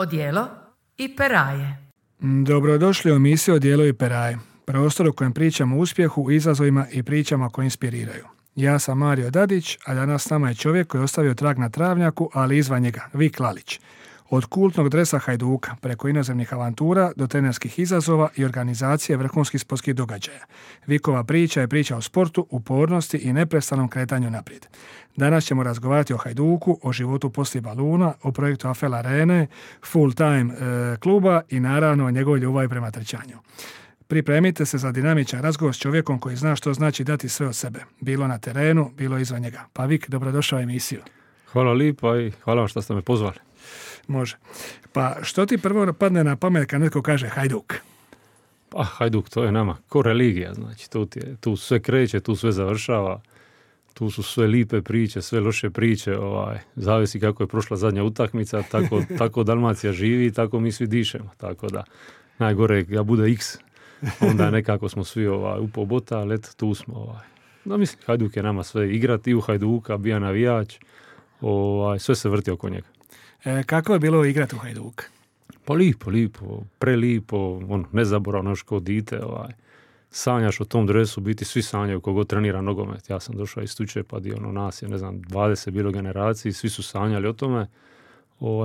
Odijelo i peraje. Dobrodošli u emisiju Odijelo i peraje, prostor u kojem pričamo o uspjehu, izazovima i pričama koje inspiriraju. Ja sam Mario Dadić, a danas s nama je čovjek koji je ostavio trag na travnjaku, ali izvan njega, Vik Lalić. Od kultnog dresa Hajduka, preko inozemnih avantura do trenerskih izazova i organizacije vrhunskih sportskih događaja. Vikova priča je priča o sportu, upornosti i neprestanom kretanju naprijed. Danas ćemo razgovarati o Hajduku, o životu poslije baluna, o projektu AFEL Arene, full time kluba i naravno o njegovoj ljubavi prema trčanju. Pripremite se za dinamičan razgovor s čovjekom koji zna što znači dati sve od sebe. Bilo na terenu, bilo izvan njega. Pa Vik, dobrodošao u emisiju. Hvala lipa i hvala vam što ste me pozvali. Može. Pa što ti prvo padne na pamet kad netko kaže Hajduk? Pa Hajduk, to je nama ko religija, znači tu sve kreće, tu sve završava, tu su sve lipe priče, sve loše priče, zavisi kako je prošla zadnja utakmica, tako Dalmacija živi, tako mi svi dišemo, tako da najgore je da bude X, onda nekako smo svi upao bota, ali eto, tu smo. No, mislim, Hajduk je nama sve igrati, i u Hajduka, bija navijač, sve se vrti oko njega. Kako je bilo igrati u Hajduk? Pa lipo, prelipo, nezaboravno još kao dite, sanjaš o tom dresu, biti svi sanjaju kogo trenira nogomet. Ja sam došao iz Tučepa, nas je, 20 bilo generaciji, svi su sanjali o tome.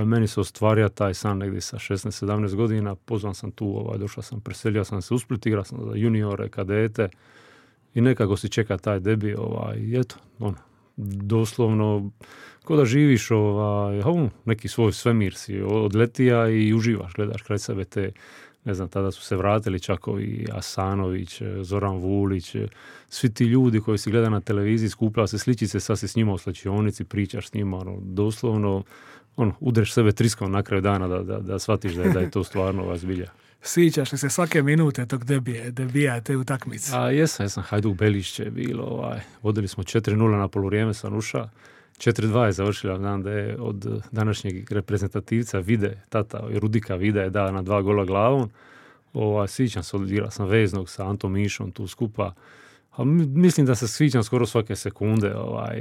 Meni se ostvario taj san negdje sa 16-17 godina, pozvan sam tu, došao sam, preselio sam se u Split, igrao sam za juniore, kadete i nekako si čeka taj debi, i eto, doslovno, ko da živiš neki svoj svemir si odletija i uživaš, gledaš kraj sebe te, tada su se vratili čak ovi Asanović, Zoran Vulić, svi ti ljudi koji si gleda na televiziji, skupljava se sličice, sad si s njima u slačionici, pričaš s njima, doslovno, udreš sebe triskom na kraju dana da shvatiš da je to stvarno zbilja. Sviđaš li se svake minute tog debija te utakmice? Jesam, Hajduk Belišće je bilo, vodili smo 4-0 na poluvrijeme sa Nuša, 4-2 je završila, znam da je od današnjeg reprezentativca Vide, tata Rudika Vida je dao na 2 gola glavom, sviđam se, odigrao sam veznog sa Antom Mišom tu skupa, a mislim da se sviđam skoro svake sekunde,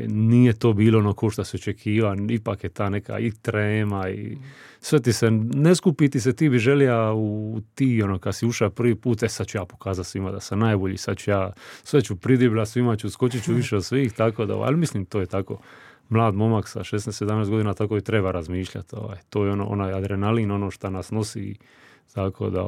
nije to bilo ono ko što se očekiva, ipak je ta neka i trema i sve ti se, ne skupi ti se, ti bi želja u ti, kad si ušao prvi put, sad ću ja pokazati svima da sam najbolji, sad ću ja, sve ću pridibla, svima ću, skočit ću više od svih, tako da, ali mislim to je tako, mlad momak sa 16-17 godina tako i treba razmišljati, to je onaj adrenalin, ono što nas nosi, tako da,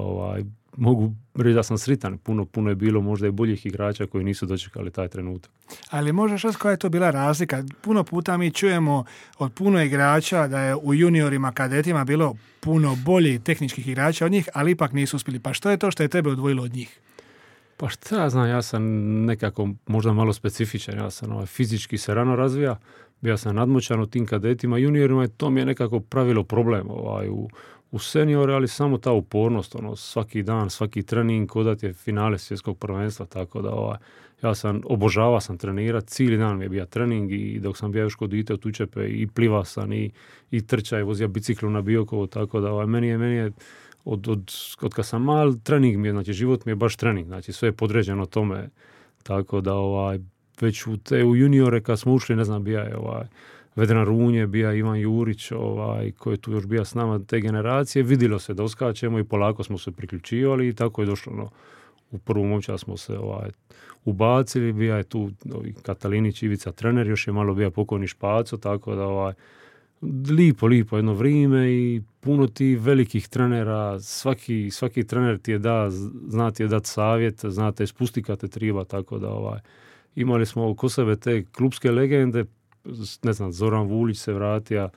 mogu reći da sam sritan, puno je bilo možda i boljih igrača koji nisu dočekali taj trenutak. Ali možeš reći koja je to bila razlika? Puno puta mi čujemo od puno igrača da je u juniorima, kadetima bilo puno boljih tehničkih igrača od njih, ali ipak nisu uspjeli. Pa što je to što je tebe odvojilo od njih? Pa šta ja znam, ja sam nekako možda malo specifičan, ja sam fizički se rano razvija, bio sam nadmoćan u tim kadetima, juniorima i to mi je nekako pravilo problem u seniore, ali samo ta upornost, svaki dan, svaki trening, kodat je finale svjetskog prvenstva, tako da ja sam obožavao trenirati, cijeli dan mi je bio trening i dok sam bio još kod dite u Tučepe i plivao sam i trčao i vozio biciklu na Biokovu, tako da meni je od kad sam mal, trening mi je, znači život mi je baš trening, znači sve je podređeno tome, tako da već u juniore kad smo ušli, bio je Vedran Runje, bija Ivan Jurić, koji je tu još bio s nama te generacije, vidjelo se da oskačemo i polako smo se priključivali i tako je došlo. U prvu momčad smo se ubacili, bija je tu Katalinić, Ivica trener, još je malo bio pokojni Špaco, tako da lipo jedno vrijeme i puno ti velikih trenera, svaki trener ti je zna ti je dati savjet, zna te ispusti kad te treba, tako da imali smo oko sebe te klubske legende, Zoran Vulić se vratio,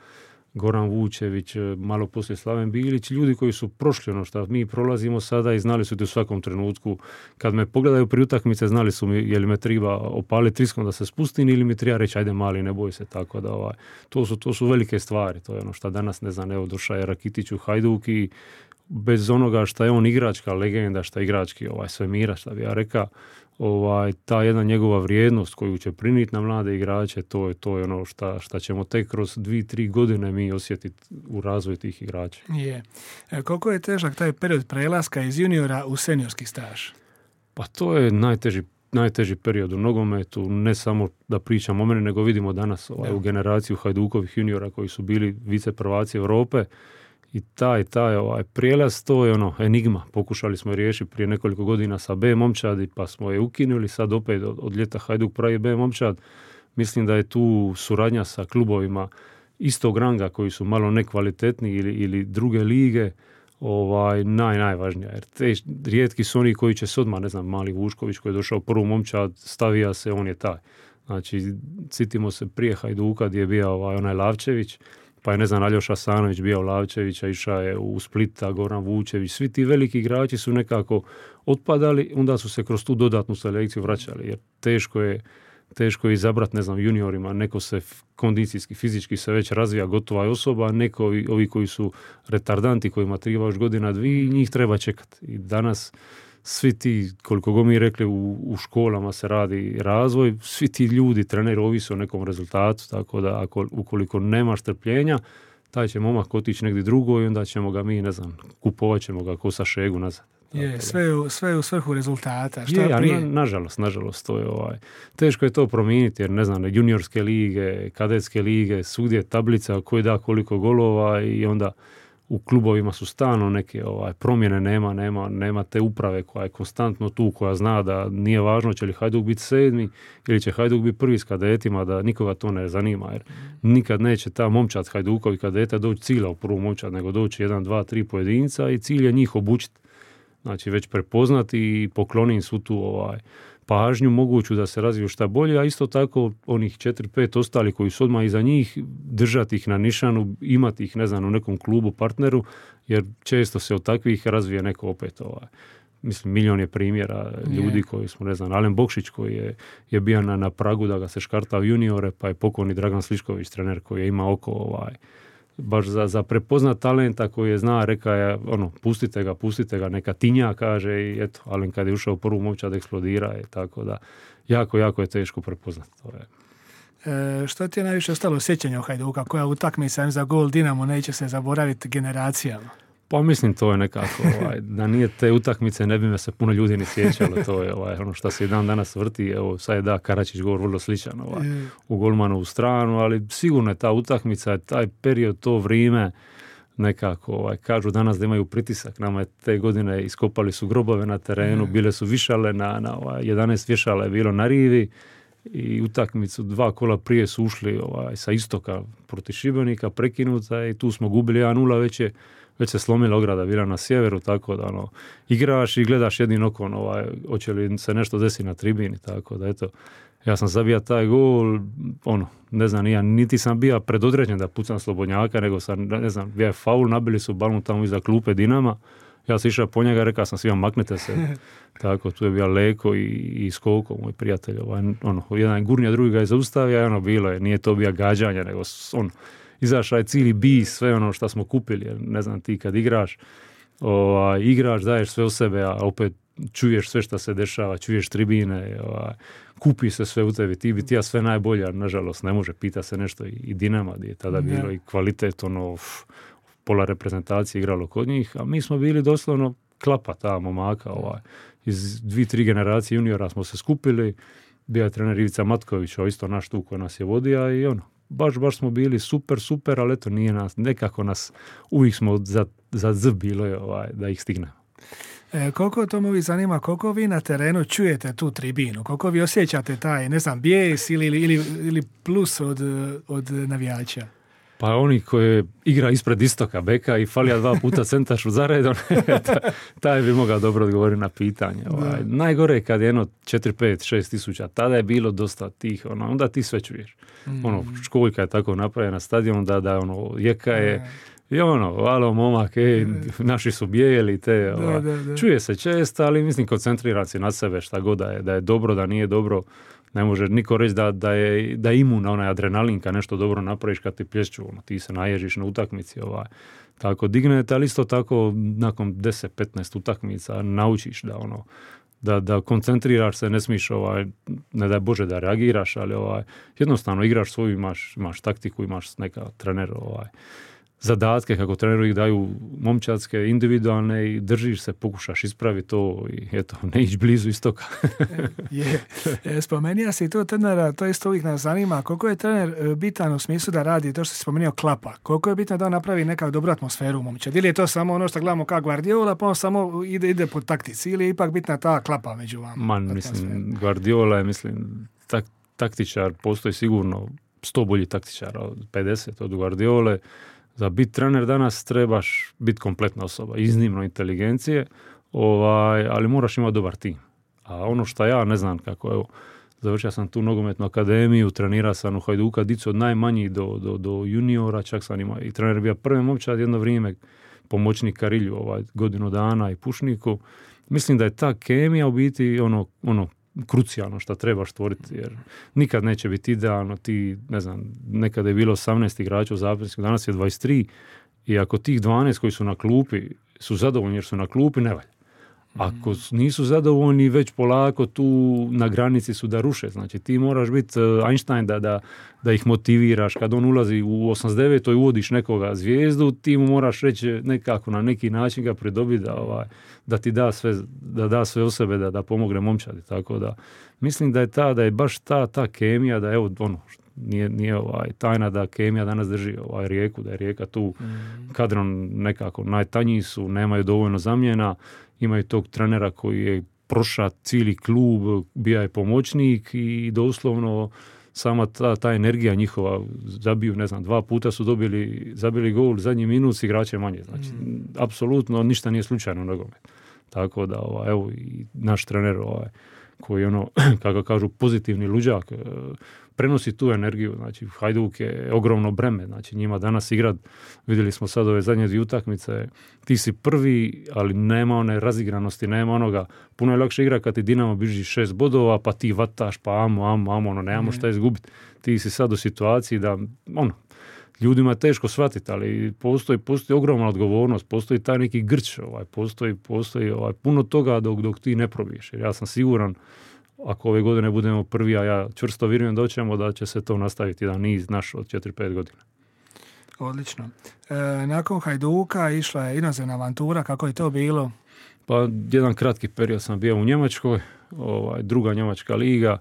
Goran Vučević, malo poslije Slaven Bilić, ljudi koji su prošli ono što mi prolazimo sada i znali su ti u svakom trenutku. Kad me pogledaju pri utakmice, znali su mi je li me treba opaliti triskom da se spustim ili mi treba reći ajde mali, ne boj se, tako da to su velike stvari. To je ono što danas, došao je Rakitić u Hajduk i bez onoga što je on igračka legenda, što je igrački svemira, što bi ja rekao, ta jedna njegova vrijednost koju će prinijeti na mlade igrače, to je ono šta ćemo tek kroz 2-3 godine mi osjetiti u razvoju tih igrača. Je. Koliko je težak taj period prelaska iz juniora u seniorski staž? Pa to je najteži period u nogometu, ne samo da pričamo o mene, nego vidimo danas u generaciju Hajdukovih juniora koji su bili viceprvaci Europe I taj prijelaz, to je enigma. Pokušali smo riješiti prije nekoliko godina sa B momčadi, pa smo je ukinuli, sad opet od ljeta Hajduk pravi B momčad. Mislim da je tu suradnja sa klubovima istog ranga koji su malo nekvalitetni ili druge lige najvažnija. Jer te rijetki su oni koji će se odmah, ne znam, mali Vušković koji je došao u prvu momčad, stavija se, on je taj. Znači, sitimo se prije Hajduka gdje je bio onaj Lavčević, pa je, ne znam, Aljoša Sanović bio Lavčevića, išao je u Splita, Goran Vučević, svi ti veliki igrači su nekako otpadali, onda su se kroz tu dodatnu selekciju vraćali, jer teško je izabrati, ne znam, juniorima, neko se kondicijski, fizički se već razvija gotova je osoba, neko ovi koji su retardanti, kojima treba još godina, dvije, njih treba čekati. I danas svi ti, koliko god mi rekli, u školama se radi razvoj, svi ti ljudi, treneri, ovise o nekom rezultatu, tako da ukoliko nemaš strpljenja, taj će momak otići negdje drugo i onda ćemo ga mi, ne znam, kupovat ćemo ga ko sa Šegu nazad. Je, sve u svrhu rezultata. Nažalost, to je teško je to promijeniti, jer, ne znam, juniorske lige, kadetske lige, svugdje tablica koji da koliko golova i onda u klubovima su stalno neke promjene, nema te uprave koja je konstantno tu, koja zna da nije važno će li Hajduk biti 7. ili će Hajduk biti prvi s kadetima, da nikoga to ne zanima, jer nikad neće ta momčad Hajdukovi kadeta doći cilja u prvu momčad, nego doći 1, 2, 3 pojedinca i cilj je njih obučiti. Znači već prepoznati i pokloniti svu tu pažnju moguću da se razviju šta bolje, a isto tako onih 4-5 ostali koji su odmah iza njih, držati ih na nišanu, imati ih, ne znam, u nekom klubu, partneru, jer često se od takvih razvije neko opet mislim, milion je primjera ljudi koji smo, ne znam, Alen Bokšić koji je bio na pragu da ga se škarta u juniore, pa je pokojni Dragan Slišković, trener koji je imao oko baš za prepoznat talenta koji je zna, reka je, pustite ga, neka tinja, kaže, i eto, Alen kad je ušao u prvu momčad eksplodira, tako da jako je teško prepoznati. To je. Što ti je najviše ostalo sjećanja o Hajduka? Koja utakmica za gol Dinamo neće se zaboraviti generacijama? Pa mislim, to je nekako, da nije te utakmice ne bi me se puno ljudi ni sjećalo, to je ono što se i dan danas vrti, evo sad je Karačić govor vrlo sličan u golmanovu stranu, ali sigurno je ta utakmica, taj period, to vrijeme, nekako, kažu danas da imaju pritisak, nama je te godine iskopali su grobove na terenu, bile su višale, na 11 vješala je bilo na rivi i utakmicu 2 kola prije su ušli sa istoka protiv Šibenika, prekinuta i tu smo gubili 1-0, već se slomila ograda bila na sjeveru, tako da igraš i gledaš jednim okom hoće li se nešto desiti na tribini, tako da eto, ja sam zabija taj gol, ne znam, niti sam bio predodređen da pucam Slobodnjaka, nego sam, ne znam, bio je faul, nabili su balon tamo iza klupe Dinama, ja sam išao po njega, rekao sam svima maknite se, tako, tu je bio Leko i Skoko, moj prijatelj, jedan gurnja, drugi ga je zaustavio, bilo je, nije to bio gađanje, nego izašao je cijeli bis, sve ono što smo kupili, jer ne znam, ti kad igraš, daješ sve u sebe, a opet čuješ sve što se dešava, čuješ tribine, kupi se sve u tebi, ti bi ja sve najbolje, a nažalost ne može, pita se nešto i Dinama, gdje je tada bilo i kvalitet, pola reprezentacije igralo kod njih, a mi smo bili doslovno klapa ta momaka, iz 2-3 generacije juniora smo se skupili, bio je trener Ivica Matković, isto naš tu koji nas je vodio i baš smo bili super, ali eto nije nas, nekako nas, uvijek smo za z bilo je da ih stignemo. Koliko to me zanima, koliko vi na terenu čujete tu tribinu, koliko vi osjećate taj, ne znam, bijes ili plus od navijača? Pa oni koji igra ispred istoka beka i falija 2 puta centašu za redom, taj bi mogao dobro odgovoriti na pitanje. Najgore je kad je 4, 5, 6 tisuća, tada je bilo dosta tih, onda ti sve čuješ. Školjka je tako napravljena na stadionu da jeka je, i alo momak, naši su bijeli, te, čuje se često, ali mislim koncentriran si na sebe šta god da je dobro, da nije dobro. Ne može niko reći da je imun na onaj adrenalin kad nešto dobro napraviš kad ti plješću, ti se naježiš na utakmici. Tako dignete, ali isto tako nakon 10-15 utakmica naučiš da koncentriraš se, ne smiješ, ne daj Bože da reagiraš, ali jednostavno igraš svoju, imaš taktiku, imaš neka trener, zadatke, kako treneru ih daju momčadske, individualne i držiš se, pokušaš ispraviti to i eto, ne ići blizu istoka. Spomenija si to trenera, to isto uvijek nas zanima, koliko je trener bitan u smislu da radi to što si spomenuo klapa, koliko je bitno da on napravi nekakvu dobru atmosferu u momčad, ili je to samo ono što gledamo kao Guardiola, pa on samo ide po taktici, ili je ipak bitna ta klapa među vama? Mislim, Guardiola je, taktičar, postoji sigurno 100 bolji taktičara od 50 od Guardiole. Za biti trener danas trebaš biti kompletna osoba, iznimno inteligencije, ali moraš imati dobar tim. A ono što ja ne znam kako, evo, završio sam tu nogometnu akademiju, trenirao sam u Hajduka, dicu od najmanjih do juniora, čak sam imao i trener bio prvi momčad jedno vrijeme, pomoćnik Karilju, godinu dana i Pušniku. Mislim da je ta kemija u biti ono krucijalno što trebaš stvoriti, jer nikad neće biti idealno. Ti, ne znam, nekada je bilo 18 igrača u zapisniku, danas je 23 i ako tih 12 koji su na klupi su zadovoljni jer su na klupi, ne valja. Ako nisu zadovoljni, već polako tu na granici su da ruše. Znači ti moraš biti Einstein da ih motiviraš. Kad on ulazi u 89. i uvodiš nekoga zvijezdu, ti mu moraš reći nekako na neki način ga pridobiti da ti da sve o sebe, da pomogne momčadi. Tako da mislim da je baš ta kemija, da evo nije tajna da kemija danas drži Rijeku, da je Rijeka tu kadrom nekako najtanji su, nemaju dovoljno zamjena, imaju tog trenera koji je prošao cijeli klub, bio je pomoćnik i doslovno sama ta energija njihova, zabiju, ne znam, 2 puta su zabili gol, zadnji minut s igrače manje. Znači, apsolutno ništa nije slučajno u nogometu. Tako da, evo, i naš trener, koji je kako kažu, pozitivni luđak, prenosi tu energiju. Znači, Hajduk je ogromno breme. Znači, njima danas igrat, vidjeli smo sad ove zadnje 2 utakmice, ti si prvi, ali nema one razigranosti, nema onoga. Puno je lakše igra kad ti Dinamo biži 6 bodova, pa ti vataš, pa amo, nemamo šta izgubiti. Ti si sad u situaciji da, ljudima je teško shvatiti, ali postoji ogromna odgovornost, postoji taj neki grč, postoji puno toga dok ti ne probiješ. Jer ja sam siguran, ako ove godine budemo prvi, a ja čvrsto vjerujem da će se to nastaviti jedan niz naš od 4-5 godina. Odlično. Nakon Hajduka išla je inozemna avantura, kako je to bilo? Pa jedan kratki period sam bio u Njemačkoj, druga njemačka liga.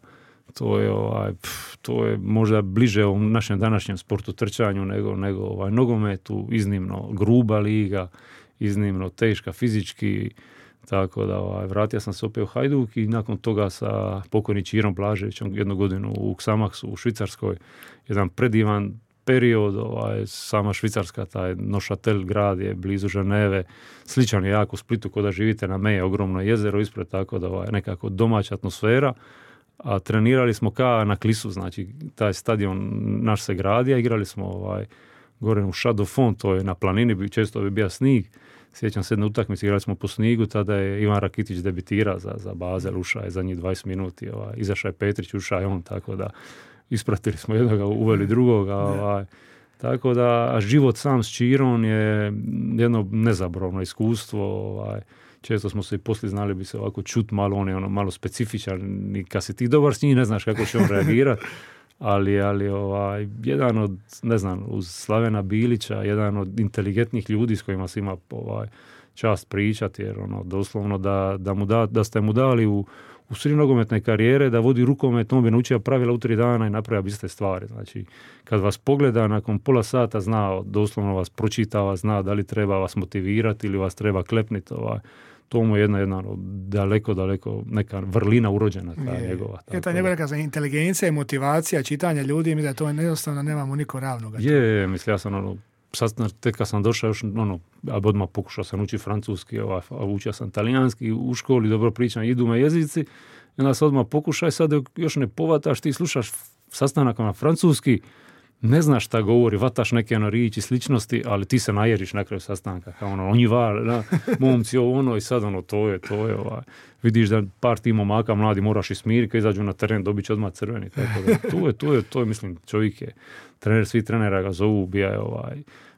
To je možda bliže u našem današnjem sportu trčanju nego nogometu, iznimno gruba liga, iznimno teška fizički, tako da vratio sam se opet u Hajduk i nakon toga sa pokojnim Čirom Blaževićem 1 godinu u Xamaxu u Švicarskoj, jedan predivan period, sama Švicarska, taj Neuchâtel grad je blizu Ženeve, sličan je jako Splitu, kod da živite na meje, ogromno jezero ispred, tako da nekako domaća atmosfera. A trenirali smo na Klisu, znači taj stadion naš se gradio, igrali smo gore u Château Fond, to je na planini, često bi bio snijeg. Sjećam se jedne utakmice, igrali smo po snigu, tada je Ivan Rakitić debitirao za Basel, ušao je zadnjih 20 minuti, izašao je Petrić, ušao je on, tako da ispratili smo jednoga, uveli drugoga. Tako da život sam s Čirom je jedno nezabavno iskustvo, često smo se i poslije znali bi se ovako čut malo, on je malo specifičan i kad si ti dobar s njim ne znaš kako će on reagirati, ali jedan od, ne znam, uz Slavena Bilića, jedan od inteligentnih ljudi s kojima se ima čast pričati, jer doslovno da ste mu dali u sred nogometne karijere da vodi rukomet, on bi naučio pravila u 3 dana i napravio iste stvari. Znači, kad vas pogleda nakon pola sata zna, doslovno vas pročitava, zna da li treba vas motivirati ili vas treba klepniti. To mu je jedna daleko neka vrlina urođena njegova. Ta njegova neka inteligencija i motivacija čitanja ljudi, mi da to jednostavno nemamo niko ravnoga. Mislim, ja sam tek kad sam došao još, odmah pokušao sam učiti francuski, učio sam talijanski, u školi dobro pričam, idu me jezici, i onda se odmah pokušaj, sad još ne povataš, ti slušaš sastanak na francuski, ne znaš šta govori, vataš neke riječi sličnosti, ali ti se najeriš na kraju sastanka, kao on je momci, i sad to je, vidiš da par ti momaka mladi moraš i smiriti, kad izađu na teren, dobit će odmah crveni, tako da to je, mislim, čovjek je, svi trenera ga zovu, bija je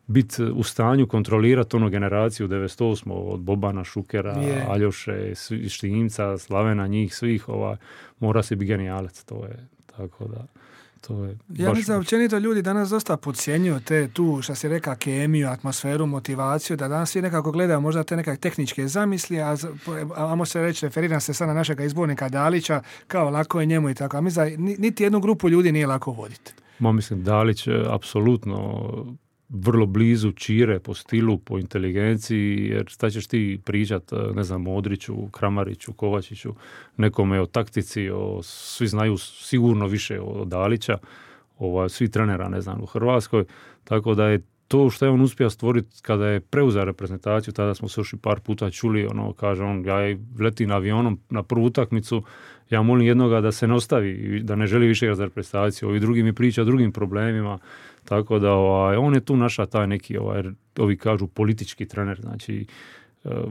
biti u stanju kontrolirati generaciju 98. od Bobana, Šukera, Aljoše, Štimca, Slavena, njih svih, mora se biti genijalac, to je, tako da. To je Ja mislim da općenito ljudi danas dosta podcjenjuju tu, što si reka, kemiju, atmosferu, motivaciju, da danas svi nekako gledaju možda te neke tehničke zamisli, a se reći, referiram se sad na našega izbornika Dalića, kao lako je njemu i tako. A mislim da niti jednu grupu ljudi nije lako voditi. Mislim, Dalić je apsolutno vrlo blizu Čire po stilu, po inteligenciji, jer šta ćeš ti pričat, ne znam, Modriću, Kramariću, Kovačiću, nekome o taktici, svi znaju sigurno više od Dalića, svi trenera, ne znam, u Hrvatskoj, tako da je to što je on uspio stvoriti kada je preuzeo reprezentaciju, tada smo se još i par puta čuli, kaže on, ja letim avionom na prvu utakmicu, ja molim jednoga da se ne ostavi, da ne želi više igrati za reprezentaciju, ovi drugi mi priča o drugim problemima, tako da on je tu naša taj neki, ovi kažu politički trener, znači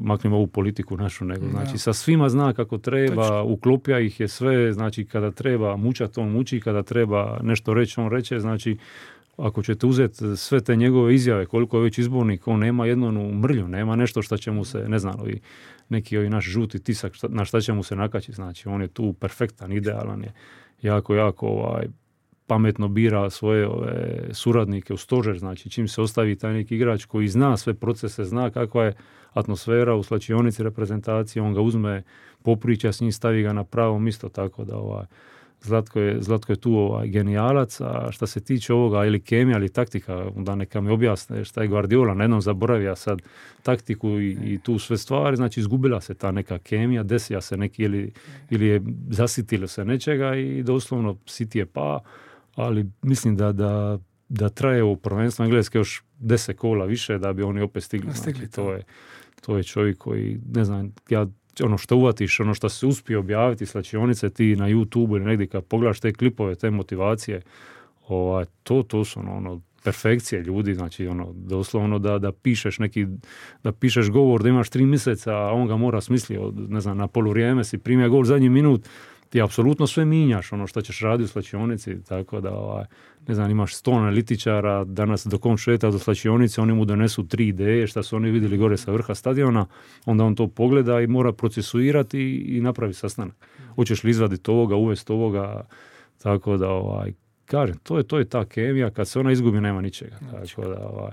maknimo ovu politiku našu, nego znači sa svima zna kako treba, uklopja ih je sve, znači kada treba mučati, on muči, kada treba nešto reći, on reče, znači ako ćete uzeti sve te njegove izjave, koliko je već izbornik, on nema jednu mrlju, nema nešto što će mu se, ne znam, neki naš žuti tisak, na šta će mu se nakačiti, znači on je tu perfektan, idealan je, jako pametno bira svoje suradnike u stožer, znači čim se ostavi taj neki igrač koji zna sve procese, zna kakva je atmosfera u slačionici reprezentacije, on ga uzme, popriča s njim, stavi ga na pravo mjesto, tako da Zlatko je tu genijalac, a što se tiče ovoga ili kemija ili taktika, da neka mi objasne šta je Guardiola, na jednom zaboravija sad taktiku i tu sve stvari, znači izgubila se ta neka kemija, desija se neki ili je zasitilo se nečega i doslovno City je ali mislim da traje ovo prvenstvo Engleske još 10 kola više da bi oni opet stigli. Znači, to je čovjek koji, ne znam, ono što uvatiš, ono što se uspije objaviti slačionice, ti na YouTube ili negdje kad pogledaš te klipove, te motivacije, to su perfekcije ljudi, znači doslovno da pišeš govor, da imaš 3 mjeseca, a on ga mora smisliti, ne znam, na poluvrijeme si primio govor zadnji minut, ti apsolutno sve minjaš, ono što ćeš raditi u slačionici, tako da, ne znam, imaš 100 analitičara, danas dok on šeta do slačionice, oni mu donesu 3 ideje, što su oni vidjeli gore sa vrha stadiona, onda on to pogleda i mora procesuirati i napravi sastanak. Hoćeš li izvaditi ovoga, uvesti ovoga, tako da, kažem, to je ta kemija, kad se ona izgubi, nema ničega, tako da,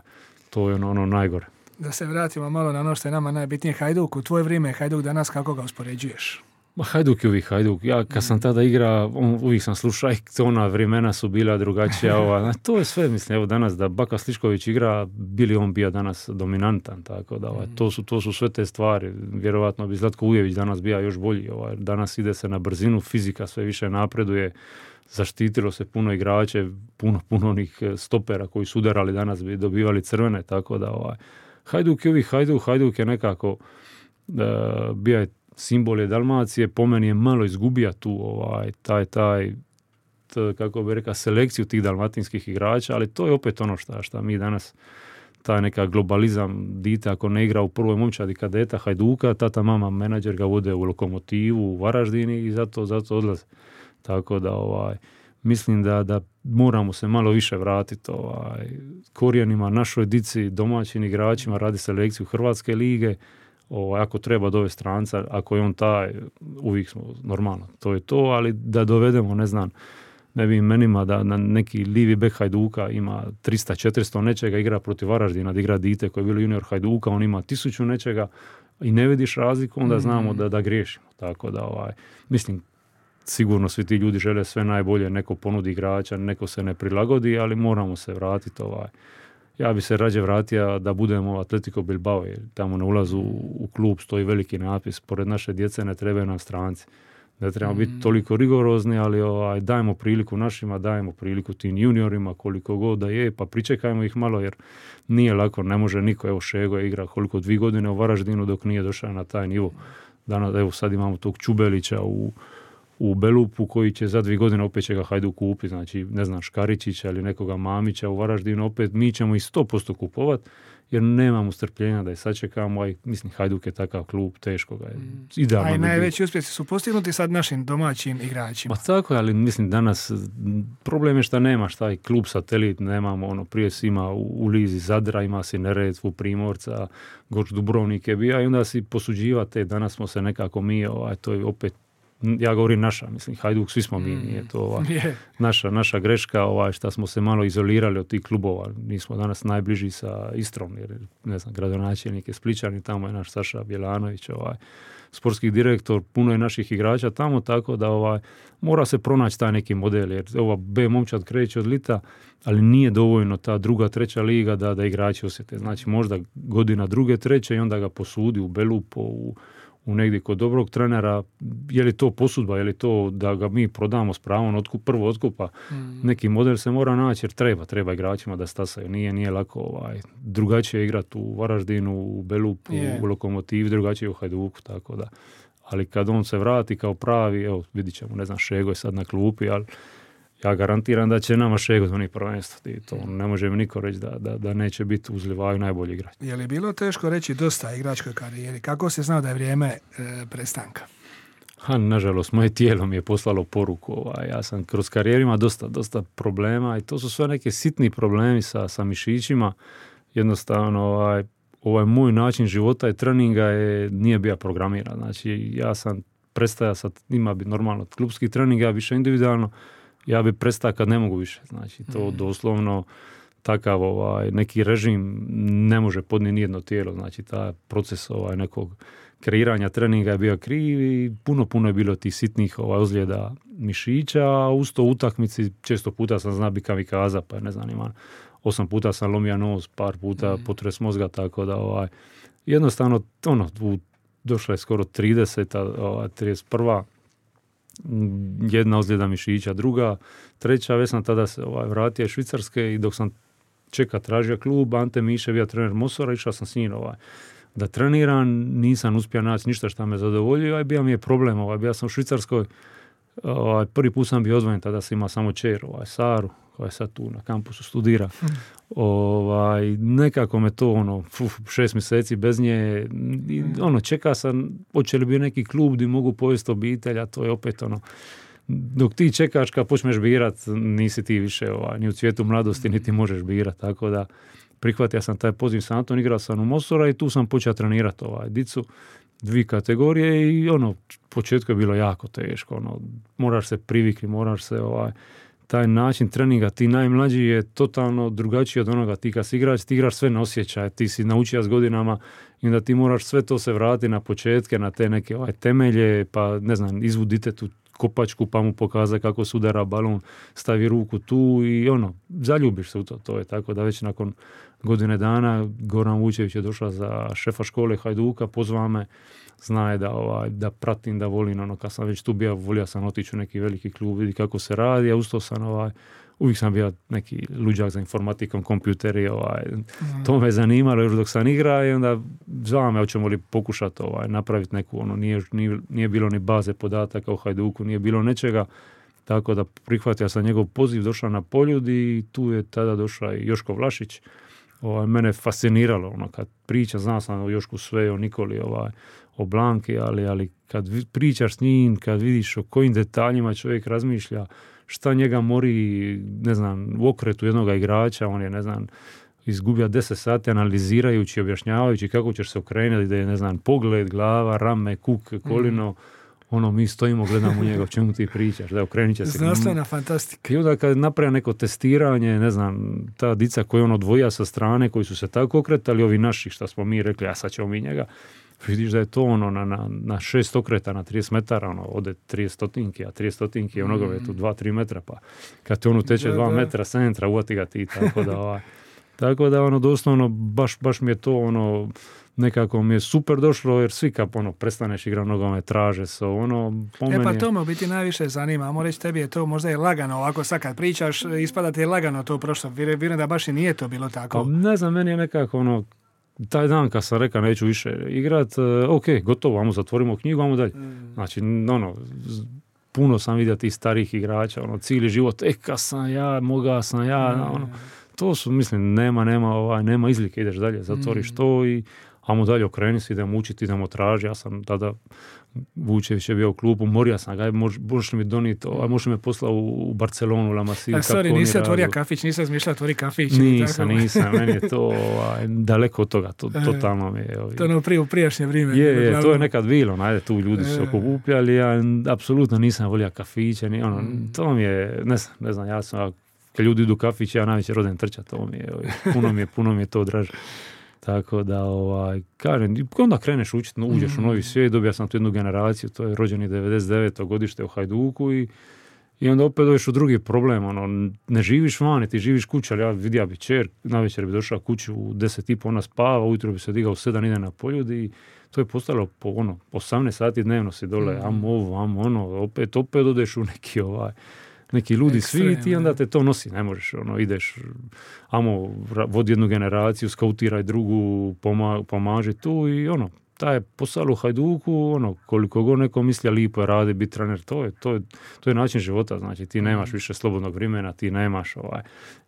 to je ono najgore. Da se vratimo malo na ono što je nama najbitnije, Hajduk, u tvoje vrijeme Hajduk danas, kako ga uspoređuješ? Hajduk je uvijek Hajduk. Ja kad sam tada igra, uvijek sam slušao, ona vremena su bila drugačija. To je sve, mislim, evo danas da Baka Slišković igra, bili on bio danas dominantan, tako da to su sve te stvari. Vjerovatno bi Zlatko Ujević danas bio još bolji. Danas ide se na brzinu, fizika sve više napreduje, zaštitilo se puno igrače, puno onih stopera koji su udarali danas bi dobivali crvene, tako da Hajduk je uvijek Hajduk je nekako bio je simbol je Dalmacije, po meni je malo izgubija tu kako bi rekao, selekciju tih dalmatinskih igrača, ali to je opet ono što mi danas, taj neka globalizam, dite ako ne igra u prvoj momčadi kadeta Hajduka, tata mama menadžer ga vode u Lokomotivu, u Varaždini i zato odlaze. Tako da mislim da moramo se malo više vratiti korijenima, našoj dici, domaćim igračima, radi selekciju Hrvatske lige, ako treba dovesti stranca, ako je on taj, uvijek smo normalno, to je to, ali da dovedemo, ne znam, ne bi imenima da na neki livi bek Hajduka ima 300-400 nečega, igra protiv Varaždina, da igra dite koji je bilo junior Hajduka, on ima 1000 nečega i ne vidiš razliku, onda znamo da griješimo. Tako da, mislim, sigurno svi ti ljudi žele sve najbolje, neko ponudi igrača, neko se ne prilagodi, ali moramo se vratiti Ja bi se rađe vratio da budemo Atletico Bilbao, jer tamo na ulazu u klub stoji veliki napis, pored naše djece ne trebaju nam stranci. Ne trebamo biti toliko rigorozni, ali dajemo priliku našima, dajemo priliku tim juniorima koliko god da je, pa pričekajmo ih malo, jer nije lako, ne može niko, evo Šego je igra koliko 2 godine u Varaždinu dok nije došao na taj nivo. Danas, evo sad imamo tog Čubelića u Belupu koji će za 2 godine opet će ga Hajduk kupiti, znači ne znam Škaričića ili nekoga Mamića u Varaždinu, opet mi ćemo ih 100% kupovat jer nemamo strpljenja da je sačekamo, a mislim Hajduk je takav klub, teško ga je. Idealno. A i najveći uspjesi su postignuti sad našim domaćim igračima. Pa tako je, ali mislim danas problem je što nemaš taj klub satelit, nemamo prije si ima u Lizi Zadra, ima si Neretvu, Primorca, Goč Dubrovnik je bio i onda si posuđivate, danas smo se nekako mi, to je opet ja govorim naša, mislim, Hajduk, svi smo mi, nije to naša greška, šta smo se malo izolirali od tih klubova. Nismo danas najbliži sa Istrom, jer, ne znam, gradonačelnik je Splićan i tamo je naš Saša Bjelanović, sportski direktor, puno je naših igrača tamo, tako da mora se pronaći taj neki model, jer ova B momčad kreće od lita, ali nije dovoljno ta druga, treća liga da igrači osjete. Znači možda godina druge, treće i onda ga posudi u Belupo, u negdje kod dobrog trenera. Je li to posudba, je li to da ga mi prodamo s pravom prvo otkupa. Neki model se mora naći jer treba igračima da stasaju. Nije lako drugačije igrati u Varaždinu, u Belupu, u Lokomotivi, drugačije u Hajduku, tako da. Ali kad on se vrati kao pravi, evo vidit ćemo, ne znam, Šego je sad na klupi, ali ja garantiram da će nama Šego donijeti prvenstvo. I to ne može mi niko reći da neće biti uz Livaju najbolji igrač. Je li bilo teško reći dosta igračkoj karijeri? Kako se znao da je vrijeme prestanka? Nažalost, moje tijelo mi je poslalo poruku. Ja sam kroz karijerima dosta problema i to su sve neke sitni problemi sa mišićima. Jednostavno, ovaj moj način života i treninga nije bio programiran. Znači, ja sam prestaja sad, ima bi normalno klubski trening, ja više individualno, ja bi prestao kad ne mogu više. Znači, to doslovno takav neki režim ne može podnijeti nijedno tijelo. Znači, taj proces nekog kreiranja treninga je bio kriv i puno je bilo tih sitnih ozljeda mišića, a uz to utakmici često puta sam zna bi kamikaza, pa ne znam, imam 8 puta sam lomio nos, par puta potres mozga, tako da jednostavno došla je skoro 31. Jedna ozljeda mišića, druga, treća, već sam tada se vratio iz Švicarske i dok sam tražio klub, Ante Miše bio trener Mosora, išao sam s njim da treniram, nisam uspio naći ništa što me zadovoljio, bio mi je problem, bio sam u Švicarskoj, prvi put sam bio odvojen, tada sam imao samo čer, Saru, koja je sad tu na kampusu studira. Nekako me to 6 mjeseci bez nje, čeka sam, hoće li bi neki klub gdje mogu povesti obitelj, a to je opet dok ti čekaš kad počneš birat, nisi ti više ni u cvijetu mladosti, niti možeš birat, tako da prihvatio sam taj poziv sa Anton, igrao sam u Mosora i tu sam počeo trenirati dicu, 2 kategorije i početku je bilo jako teško, moraš se privikli, moraš se taj način treninga, ti najmlađi je totalno drugačiji od onoga, ti kad si igrač, ti igraš sve na osjećaje, ti si naučio s godinama i da ti moraš sve to se vratiti na početke, na te neke temelje, pa ne znam, izvudite tu kopačku pa mu pokaza kako se udara balon, stavi ruku tu i zaljubiš se u to. To je tako da već nakon godine dana Goran Vučević je došao za šefa škole Hajduka, pozvao me, zna je da pratim, da volim, kad sam već tu bio, volio sam otići u neki veliki klub, vidi kako se radi, a usto sam uvijek sam bio neki luđak za informatikom, kompjuteri, to me zanimalo još dok sam igrao i onda zvao me, hoćemo li pokušati napraviti neku, nije bilo ni baze podataka u Hajduku, nije bilo nečega, tako da prihvatio sam njegov poziv, došao na Poljud i tu je tada došao i Joško Vlašić. Mene fasciniralo, kad priča, znao sam o Jošku sve, o Nikoli, o Blanki, ali kad pričaš s njim, kad vidiš o kojim detaljima čovjek razmišlja, šta njega mori, ne znam, u okretu jednoga igrača, on je, ne znam, izgubio 10 sati analizirajući, objašnjavajući kako ćeš se okrenuti, da je, ne znam, pogled, glava, rame, kuk, kolino, mi stojimo, gledamo njega, o čemu ti pričaš, da okrenit će se. Znanstvena fantastika. I onda kad napravi neko testiranje, ne znam, ta dica koja odvoja sa strane, koji su se tako okretali, ovi naši, šta smo mi rekli, a sad ćemo mi njega, vidiš da je to na 6 okreta, na 30 metara, ode 30 stotinki, a 30 stotinki je u nogometu 2-3 metra, pa kad te teče 2 metra centra, uvati ga ti, tako da doslovno, baš mi je to nekako mi je super došlo, jer svi kad prestaneš igrati nogomet, traže se po meni. Pa to me u biti najviše zanima, ajmo reći, tebi je to možda je lagano, ovako sad kad pričaš, ispada ti je lagano to prošlo, vjerujem da baš i nije to bilo tako. Pa ne znam, meni je nekako taj dan kad sam rekao neću više igrat, ok, gotovo, ajmo zatvorimo knjigu, ajmo dalje. Znači, puno sam vidio tih starih igrača, cijeli život, kad sam ja, mogao sam ja, to su, mislim, nema izlike, ideš dalje, zatvoriš to Amo dalje okreni se, idemo učiti, idemo traži. Ja sam tada, Vučević je bio u klubu, morio sam ga, možeš mi doniti, možeš me poslati u Barcelonu, La Masia. Nisi otvorio kafić, nisam izmišljao otvori kafić. Nisam, meni je to daleko od toga, totalno mi je. To ono u prijašnje vrijeme. Je, to je nekad bilo, najde, tu ljudi su okupljali, ja apsolutno nisam volio kafiće, to mi je, ne znam, ja sam, kad ljudi idu u kafić, ja najveće rodem trčati, to mi je, puno mi je to draže. Tako da, kažem, onda kreneš učiti, uđeš u novi svijet, dobija sam tu jednu generaciju, to je rođeni 99. godište u Hajduku i onda opet dođeš u drugi problem, ne živiš vani, ti živiš kući, ali ja vidio bi čer, navečer bi došao kuću u 10:30, ona spava, ujutro bi se digao u 7, ide na poljud i to je postalo po 18 sati dnevno si dole, opet odeš u neki ludi svijet i onda te to nosi, ne možeš, ideš, vodi jednu generaciju, skautiraj drugu, pomaži tu i taj posao u Hajduku, koliko god neko misli, lipo je radi, biti trener, to je način života, znači ti nemaš više slobodnog vremena, ti nemaš,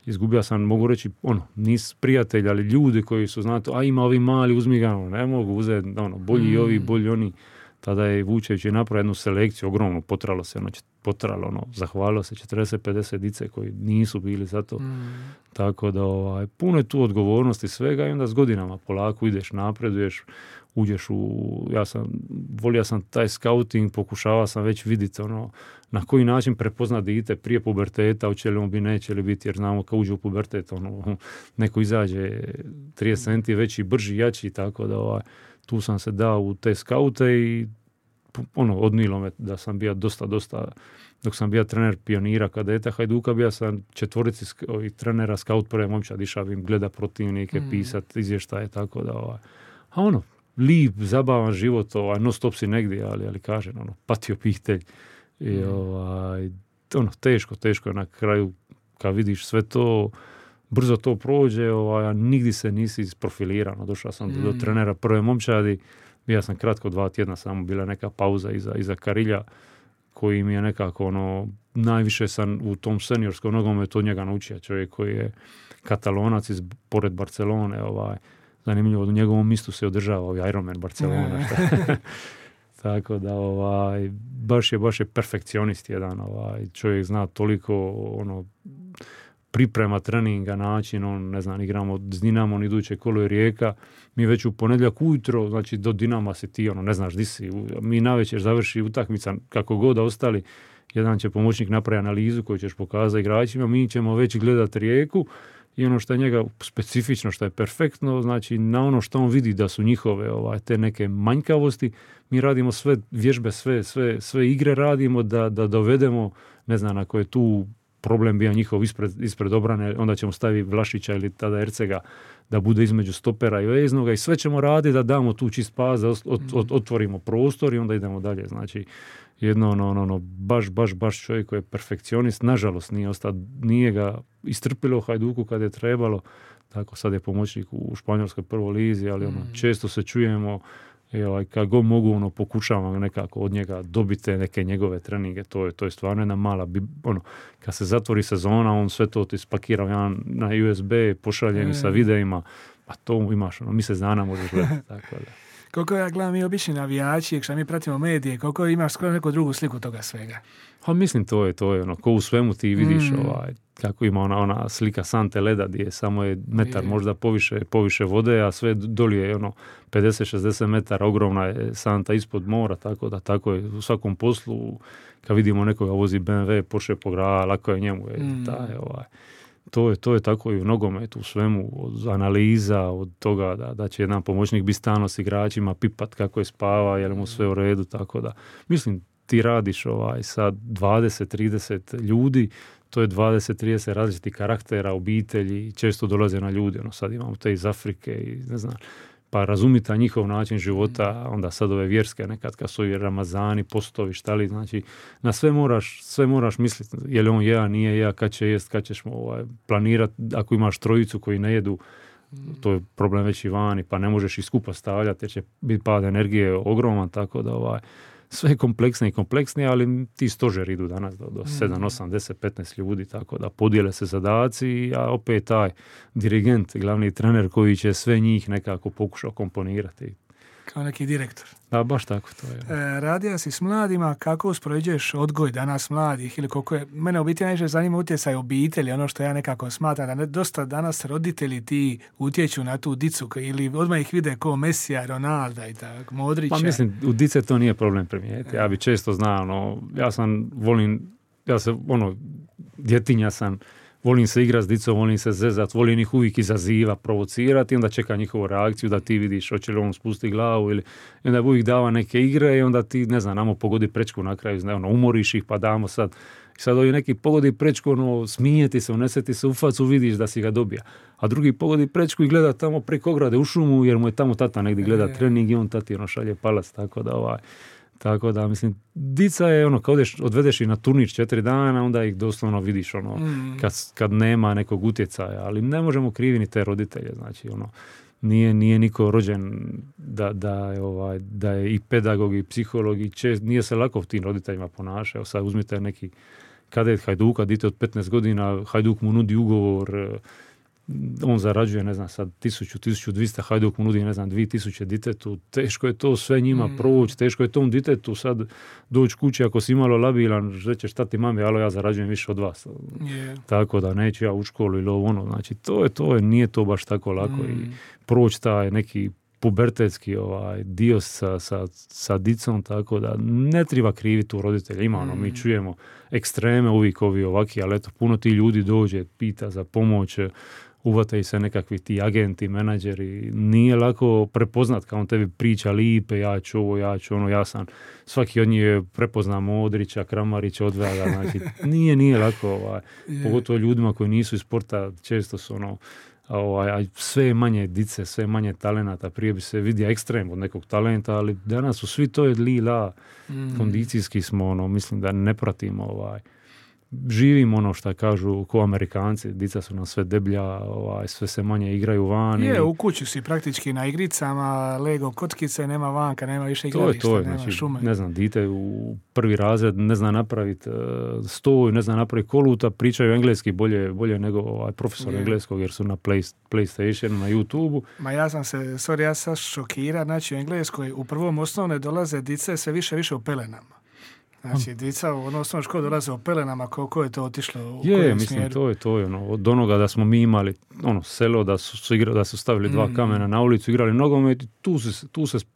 izgubio sam, mogu reći, nis prijatelj, ali ljudi koji su, znate, ima ovi mali, uzmi ga, ne mogu uzeti, bolji ovi, bolji oni. Tada je Vučević napravio jednu selekciju, ogromnu, zahvalilo se 40-50 dice koji nisu bili za to. Tako da puno je tu odgovornosti svega i onda s godinama polako ideš, napreduješ, uđeš volio sam taj scouting, pokušavao sam već vidjeti na koji način prepozna dite prije puberteta, hoće li on bi, neće li biti, jer znamo kad uđe u pubertet, neko izađe 30 centi veći, brži, jači, tako da tu sam se dao u te skaute i odnilo me da sam bio dosta, dok sam bio trener pionira kadeta Hajduka, bio sam 4 trenera skaut prve momčad, išao im gleda protivnike, pisat izvještaje, tako da lijep, zabavan život, non stop si negdje, ali kažem, pati obitelj i teško je na kraju kad vidiš sve to, brzo to prođe, a nigdje se nisi isprofilirano. Došao sam do trenera prve momčadi, bio sam kratko 2 tjedna, samo bila neka pauza iza Karilja, koji mi je nekako najviše sam u tom seniorskom nogometu od njega naučio. Čovjek koji je Katalonac pored Barcelone, zanimljivo, u njegovom mistu se održava Ironman Barcelona. Tako da baš je perfekcionist jedan, čovjek zna toliko priprema treninga, način, igramo s Dinamom, iduće kolo je Rijeka, mi već u ponedjeljak ujutro, znači do Dinama si ti, ne znaš di si, mi navečer završi utakmica, kako god da ostali, jedan će pomoćnik napraviti analizu koju ćeš pokazati igračima, mi ćemo već gledati Rijeku i što je njega specifično, što je perfektno, znači na što on vidi da su njihove te neke manjkavosti, mi radimo sve vježbe, sve igre radimo da dovedemo, ako je tu problem bio njihov ispred obrane, onda ćemo staviti Vlašića ili tada Ercega da bude između stopera i veznoga i sve ćemo raditi da damo tu čist pas, da otvorimo prostor i onda idemo dalje. Znači, jedno baš čovjek koji je perfekcionist, nažalost nije ga istrpilo u Hajduku kad je trebalo, tako sad je pomoćnik u španjolskoj prvoj lizi, ali često se čujemo i kad god mogu pokušavam nekako od njega dobiti neke njegove treninge, to je stvarno jedna mala kad se zatvori sezona, on sve to ti spakira na USB, pošalje mi sa videima, pa to imaš mjesec dana možeš gledati, tako da. Koliko ja gledam, mi obični navijači, što mi pratimo medije, koliko imaš skoro neku drugu sliku toga svega? Mislim, to je ko u svemu ti vidiš kako ima ona slika sante leda gdje samo je metar možda poviše vode, a sve dolje je 50-60 metara, ogromna je santa ispod mora, tako je u svakom poslu, kad vidimo nekoga vozi BMW, Porsche po gradu, lako je njemu. To je tako i u nogometu, u svemu, od analiza, od toga da će jedan pomoćnik biti stalno s igračima, pipat kako je spava, je li mu sve u redu, tako da. Mislim, ti radiš sa 20-30 ljudi, to je 20-30 različitih karaktera, obitelji, često dolaze na ljudi, sad imamo te iz Afrike i ne znam, pa razumita njihov način života, onda sad ove vjerske nekad kad su i Ramazani, postovi, štali, znači na sve moraš misliti, je li on jeo, nije jeo, kad će jest, kad ćeš planirati, ako imaš trojicu koji ne jedu, to je problem već i vani, pa ne možeš ih skupa stavljati jer će biti pad energije ogroman, tako da sve kompleksnije i kompleksnije, ali ti stožeri idu danas do 7, 8, 10, 15 ljudi, tako da podijele se zadaci, a opet taj dirigent, glavni trener koji će sve njih nekako pokušao komponirati. Kao neki direktor. Da, baš tako to je. Radio si s mladima, kako uspoređuješ odgoj danas mladih ili koliko je, mene u biti najviše zanima utjecaj obitelji, ono što ja nekako smatram, da dosta danas roditelji ti utječu na tu dicu ili odmah ih vide kao Mesija, Ronalda i tako, Modrića. Pa mislim, u dice to nije problem primijeti. Ja bi često znao, djetinja sam, volim se igrati s dicom, volim se zezat, volim ih uvijek izaziva, provocirati i onda čeka njihovu reakciju da ti vidiš hoće li on spusti glavu ili i onda uvijek dava neke igre i onda ti, ne znam, namo pogodi prečku na kraju, umoriš ih pa damo sad. I sad ovi neki pogodi prečku, smijeti se, uneseti se u facu, vidiš da si ga dobija. A drugi pogodi prečku i gleda tamo preko ograde u šumu jer mu je tamo tata negdje gleda trening i on tati šalje palac, tako da, mislim, dica je kao odvedeš i na turnir 4 dana, onda ih doslovno vidiš kad nema nekog utjecaja, ali ne možemo krivi ni te roditelje, znači nije niko rođen da je i pedagog i psiholog i nije se lako tim roditeljima ponašao. Sad uzmite neki kadet Hajduka, dite od 15 godina, Hajduk mu nudi ugovor, on zarađuje, ne znam, sad 1200, Hajduk mu nudi, ne znam, 2000 ditetu, teško je to sve njima proći, teško je tom ditetu sad doći kući ako si malo labilan, rećeš šta ti mami, alo ja zarađujem više od vas. Tako da neću ja u školu ili znači nije to baš tako lako i proći taj neki pubertetski dio sa dicom, tako da ne treba kriviti u roditelja. Ima mi čujemo ekstreme uvijek ovaki, ali eto, puno ti ljudi dođe, pita za pomoć, uvataju se nekakvi ti agenti, menadžeri, nije lako prepoznat kao on tebi priča lipe, ja ću ovo, ja sam, svaki od njih je prepoznao Modrića, Kramarića, odvaja, znači nije lako, pogotovo ljudima koji nisu iz sporta, često su sve manje dice, sve manje talenata, prije bi se vidio ekstrem od nekog talenta, ali danas su svi to je lila, kondicijski smo, mislim da ne pratimo živimo što kažu ko Amerikanci, dica su nam sve deblja, sve se manje igraju van. U kući si praktički na igricama, Lego kockice, nema vanka, nema više igrališta, nema znači, šume. Ne znam, dite u prvi razred ne zna napraviti stoj, ne zna napraviti koluta, pričaju engleski bolje nego profesor engleskog jer su na PlayStationu, na YouTubeu. Ma ja sam šokiran, znači u Engleskoj u prvom osnovne dolaze dice sve više u pelenama. Znači, dica u osnovnoj školi dolaze u pelenama, koliko je to otišlo u kojem smjeru? To je od onoga da smo mi imali selo, da su stavili dva kamena na ulicu, igrali nogomet,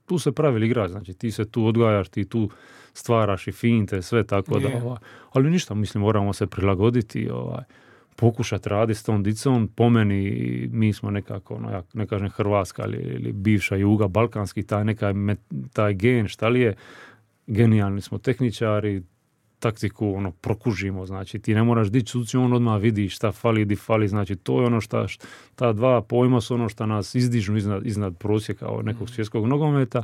tu se pravili igrač, znači ti se tu odgajaš, ti tu stvaraš i finte, sve tako da, ali ništa, mislim, moramo se prilagoditi, pokušati raditi s tom dicom. Po meni, mi smo nekako, ja ne kažem Hrvatska ili bivša Juga, balkanski, taj gen, šta li je, genijalni smo tehničari, taktiku prokužimo, znači ti ne moraš dići suci, on odmah vidi šta fali, di fali, znači to je ta dva pojma su što nas izdižu iznad prosjeka nekog svjetskog nogometa,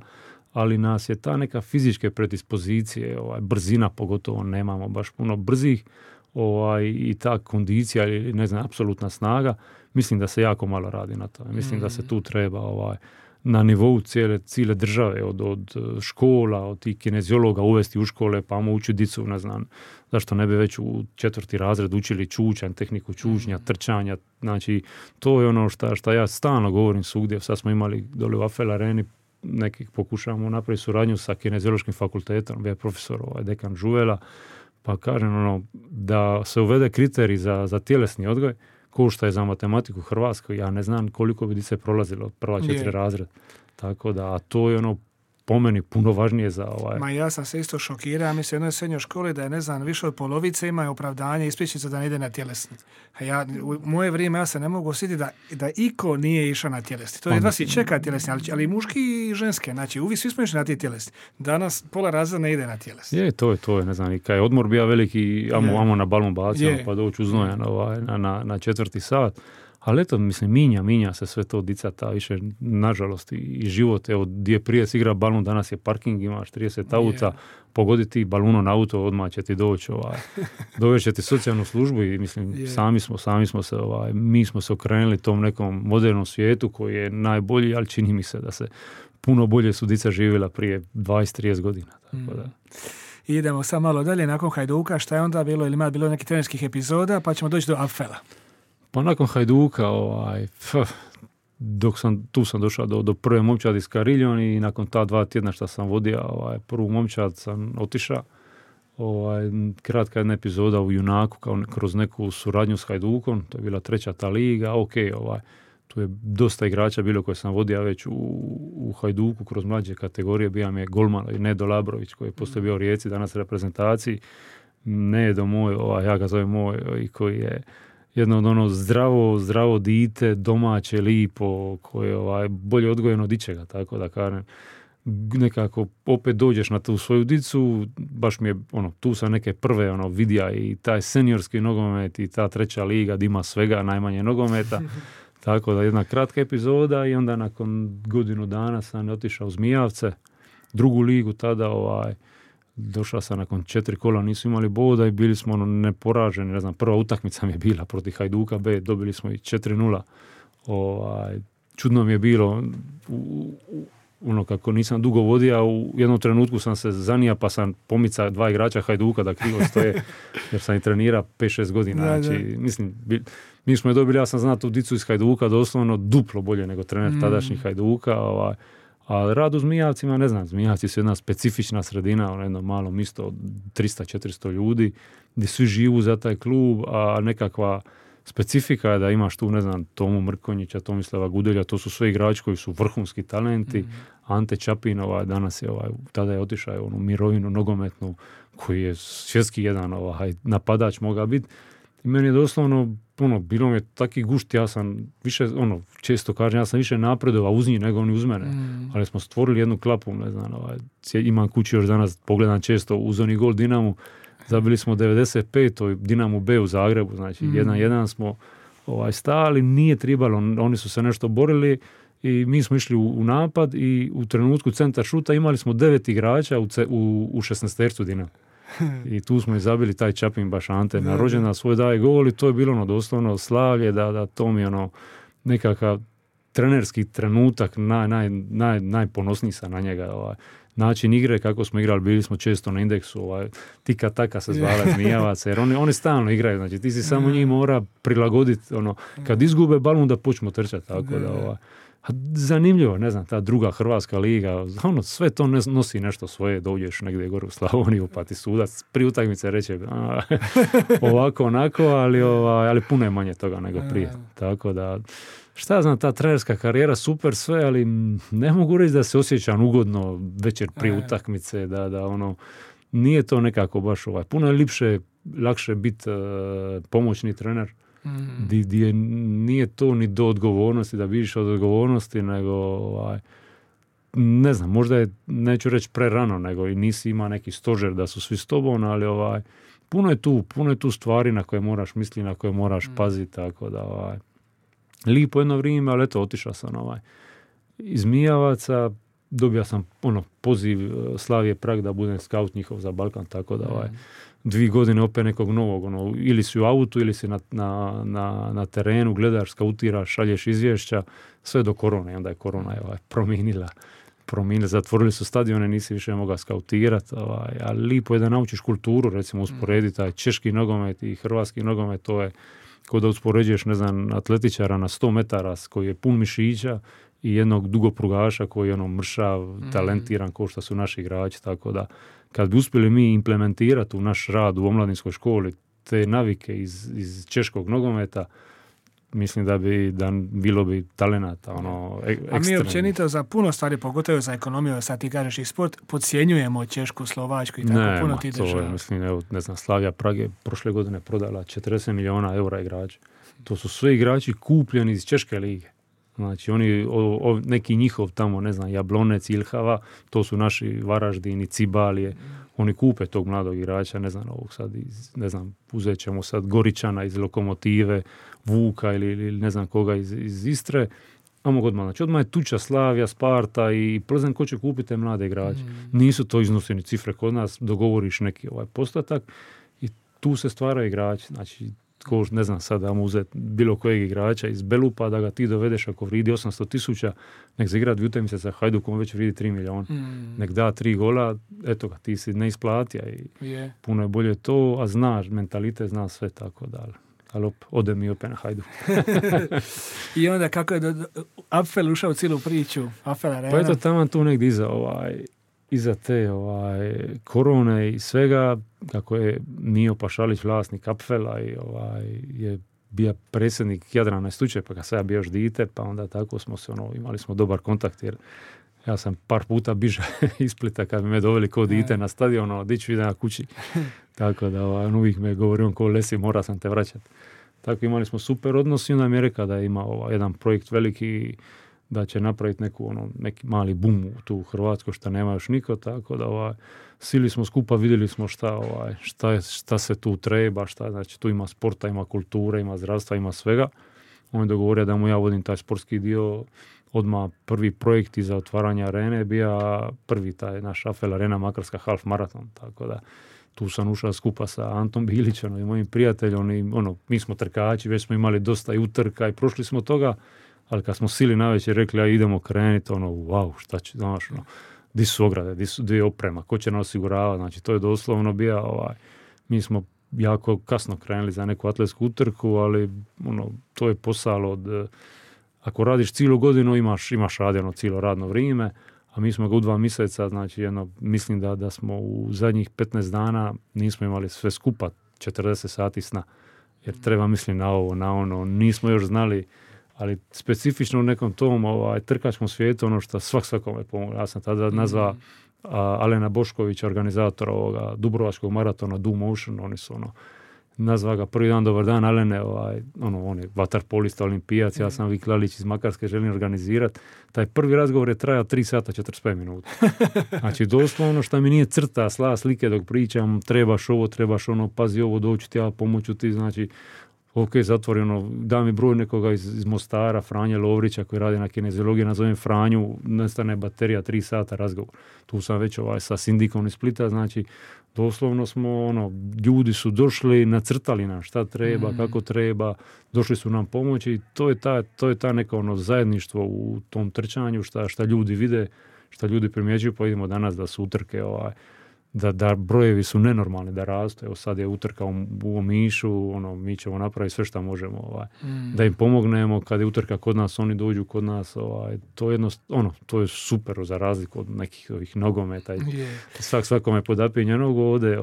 ali nas je ta neka fizičke predispozicije, brzina pogotovo, nemamo baš puno brzih, i ta kondicija ili ne znam, apsolutna snaga, mislim da se jako malo radi na to. Mislim da se tu treba na nivou cijele države, od škola, od tih kineziologa uvesti u škole, pa učiti dicu, ne znam, zašto ne bi već u 4. razred učili čučanj, tehniku čučnja, trčanja, znači to je ono što ja stalno govorim svugdje. Sad smo imali dole u Afel Areni, nekih pokušavamo napraviti suradnju sa kineziološkim fakultetom, bio je profesor dekan Žuvela, pa kažem da se uvede kriterij za tjelesni odgoj, ko što je za matematiku Hrvatskoj, ja ne znam koliko bi dice prolazilo od prva 4 razred. Tako da, to je po meni puno važnije za Ma ja sam se isto šokirao, mislim u jednoj srednjoj školi da je, ne znam, više od polovice imaju opravdanje ispričnice da ne ide na tjelesni. A u moje vrijeme ja se ne mogu osjetiti da iko nije išao na tjelesni. To je da si čeka tjelesni, ali i muški i ženske, znači uvijek svi smo išli na ti tjelesni. Danas pola razreda ne ide na tjelesni. To je, ne znam, i kad je odmor bio veliki, amo na balon bacimo, pa doći uznojan na 4. sat. Ali eto, mislim, minja se sve to dica, ta više, nažalost, i život. Evo, gdje prije se igra balon, danas je parking, imaš 30 auta, pogoditi balunom na auto, odmah će ti doći, dovešće ti socijalnu službu i mislim, sami smo se, mi smo se okrenuli tom nekom modernom svijetu koji je najbolji, ali čini mi se da se puno bolje su dica živjela prije 20-30 godina. Tako da. Idemo sad malo dalje, nakon Hajduka, šta je onda bilo, ili ima bilo nekih trenerskih epizoda, pa ćemo doći do Apfela. Pa nakon Hajduka, tu sam došao do prve momčadi s Kariljom i nakon ta 2 tjedna što sam vodio prvu momčad sam otišao. Kratka jedna epizoda u Junaku kroz neku suradnju s Hajdukom, to je bila 3. ta liga, tu je dosta igrača bilo koje sam vodio već u Hajduku kroz mlađe kategorije, bio mi je golman Nedo Labrović koji je poslije bio u Rijeci, danas reprezentaciji, Nedo moj, ja ga zovem moj, i koji je jedno od ono zdravo dite, domaće, lipo, koje je bolje odgojeno od ičega, tako da kažem. Nekako opet dođeš na tu svoju dicu, baš mi je tu sam neke prve vidja i taj seniorski nogomet i ta 3. liga gdje ima svega najmanje nogometa. Tako da jedna kratka epizoda i onda nakon godinu dana sam otišao u Zmijavce, 2. ligu tada, došao sam nakon 4 kola, nisu imali boda i bili smo neporaženi, ne znam, prva utakmica mi je bila protiv Hajduka B, dobili smo i 4-0. Čudno mi je bilo, kako nisam dugo vodio, u jednom trenutku sam se zanija pa sam pomicao 2 igrača Hajduka da krivo stoje, jer sam i trenirao 5-6 godina. Znači, mislim, mi smo je dobili, ja sam znao tu dicu iz Hajduka doslovno duplo bolje nego trener tadašnjih Hajduka, a rad u Zmijavcima, ne znam, Zmijavci su jedna specifična sredina, jedno malo mjesto od 300-400 ljudi, gdje svi živu za taj klub, a nekakva specifika je da imaš tu, ne znam, Tomu Mrkonjića, Tomislava Gudelja, to su sve igrači koji su vrhunski talenti. Ante Čapin, danas je, tada je otišao u mirovinu nogometnu, koji je svjetski jedan napadač mogao biti. I meni je doslovno, bilo mi je taki gušt, ja sam više, često kažem, ja sam više napredovao uz njih nego oni uz mene. Ali smo stvorili jednu klapu, ne znam, imam kući još danas, pogledam često uz oni gol Dinamu, zabili smo 95. Dinamu B u Zagrebu, znači 1-1 smo stali, nije tribalo, oni su se nešto borili i mi smo išli u napad i u trenutku centar šuta imali smo 9 igrača u 16-tercu Dinama. I tu smo i zabili taj Čapin baš Ante na rođendan svoj daje gol i to je bilo doslovno slavlje da to mi nekakav trenerski trenutak najponosniji sam na njega. Način igre, kako smo igrali, bili smo često na indeksu, tika taka se zvala Zmijavaca, jer oni stalno igraju, znači ti si samo njih mora prilagoditi, kad izgube balon da počnu trčati, tako da zanimljivo, ne znam, ta 2. hrvatska liga, sve to nosi nešto svoje, dođeš negdje gore u Slavoniju, pa ti sudac prije utakmice reče ovako, onako, ali puno je manje toga nego prije, tako da šta znam, ta trenerska karijera super sve, ali ne mogu reći da se osjećam ugodno večer prije utakmice, da nije to nekako baš puno je lakše biti pomoćni trener, gdje nije to ni do odgovornosti, da biš od odgovornosti, nego ne znam, možda je, neću reći prerano, nego i nisi ima neki stožer da su svi s tobom, ali puno je tu stvari na koje moraš misliti, na koje moraš paziti, tako da lipo jedno vrijeme, ali eto, otišao sam iz Mijavaca, dobio sam poziv Slavije Prag da budem scout njihov za Balkan, tako da 2 godine opet nekog novog, ili si u autu, ili si na terenu, gledaš, skautiraš, šalješ izvješća, sve do korone, i onda je korona promijenila, zatvorili su stadione, nisi više mogao skautirati, ali lipo je da naučiš kulturu, recimo usporediti taj češki nogomet i hrvatski nogomet, to je kao da uspoređuješ, ne znam, atletičara na 100 metara koji je pun mišića i jednog dugoprugaša koji je mršav, talentiran kao što su naši igrači, tako da kad bi uspjeli mi implementirati u naš rad u omladinskoj školi te navike iz češkog nogometa, mislim da bilo bi talenata, ekstremno. A mi općenito za puno stvari, pogotovo za ekonomiju, sad ti kažeš i sport, podcjenjujemo Češku, Slovačku i tako puno ti država. Ne, mislim, ne znam, Slavija Prag je prošle godine prodala 40 milijuna eura igrača. To su sve igrači kupljeni iz Češke lige. Znači, oni, neki njihov tamo, ne znam, Jablonec, Ilhava, to su naši Varaždini, Cibalije, oni kupe tog mladog igrača, ne znam, ovog sad, ne znam, uzet ćemo sad Goričana iz Lokomotive, Vuka ili ne znam koga iz Istre, a mogu odmah. Znači, odmah je tuča Slavija, Sparta i Plzeň, ko će kupiti te mlade igrače. Nisu to iznoseni cifre kod nas, dogovoriš neki postotak i tu se stvaraju igrači. Znači, ko, ne znam sad, da mu uzeti bilo kojeg igrača iz Belupa, da ga ti dovedeš ako vridi 800,000, nek se igra 2 utakmice sa Hajdukom, već vridi 3 milijuna. Nek da 3 gola, eto ga, ti si neisplatija i puno je bolje to, a znaš, mentalitet zna sve tako dalje. Ali ode mi opet na Hajduk. I onda kako je Apfel ušao u cijelu priču? Apfel Arena? Pa eto tamo tu negdje iza te korone i svega, kako je Mio Pašalić vlasnik Apfela i je bio predsjednik Jadrana slučaj, pa kad sam ja bio još dite, pa onda tako smo se imali smo dobar kontakt, jer ja sam par puta biža iz Splita kad bi me doveli kao dite na stadion, diću idem na kući. Tako da uvijek me govorio ko Lesi, mora sam te vraćati. Tako imali smo super odnos i onda mi je rekao da ima jedan projekt veliki, da će napraviti neki mali boom tu u Hrvatskoj što nema još niko, tako da sili smo skupa, vidjeli smo šta se tu treba, znači tu ima sporta, ima kulture, ima zdravstva, ima svega. On je dogovorio da mu ja vodim taj sportski dio. Odmah prvi projekt iza otvaranja arene bio prvi taj naš Apfel Arena Makarska half maraton, tako da tu sam ušao skupa sa Antom Bilićem i mojim prijateljom i mi smo trkači, već smo imali dosta i utrka i prošli smo toga, ali kad smo sili navečer rekli idemo krenuti, wow, šta će, znaš, di su ograde, di je oprema, ko će nas osiguravati, znači to je doslovno bio, mi smo jako kasno krenuli za neku atletsku utrku, ali to je posao od, ako radiš cijelu godinu imaš radjeno cijelo radno vrijeme, a mi smo ga u 2 mjeseca, znači mislim da smo u zadnjih 15 dana nismo imali sve skupa 40 sati sna, jer treba mislim na ovo, na ono, nismo još znali, ali specifično u nekom tom trkačkom svijetu, što svakome pomogu. Ja sam tada nazvao Alena Boškovića, organizatora ovoga Dubrovačkog maratona Do Motion, oni su nazva ga prvi dan, dobar dan Alene, on je vaterpolista, olimpijac, ja sam Vik Lalić iz Makarske, želim organizirati. Taj prvi razgovor je trajao 3 sata 45 minuta. Znači doslovno što mi nije crta, slike dok pričam, trebaš ovo, trebaš ono, pazi ovo, doću ti ja, pomoću ti, znači ok, zatvoreno, da mi broj nekoga iz Mostara, Franje Lovrića koji radi na kineziologiji, nazovem Franju, nestane baterija, 3 sata razgovor. Tu sam već sa sindikom iz Splita, znači doslovno smo, ljudi su došli, nacrtali nam šta treba, kako treba, došli su nam pomoći i to je ta neka zajedništvo u tom trčanju, šta ljudi vide, šta ljudi primjećuju, pa vidimo danas da su utrke da brojevi su nenormalni, da rastu. Evo sad je utrka u Omišu, mi ćemo napraviti sve što možemo, da im pomognemo. Kad je utrka kod nas, oni dođu kod nas, to je super za razliku od nekih ovih nogometa. Svakome podapije njenog ode.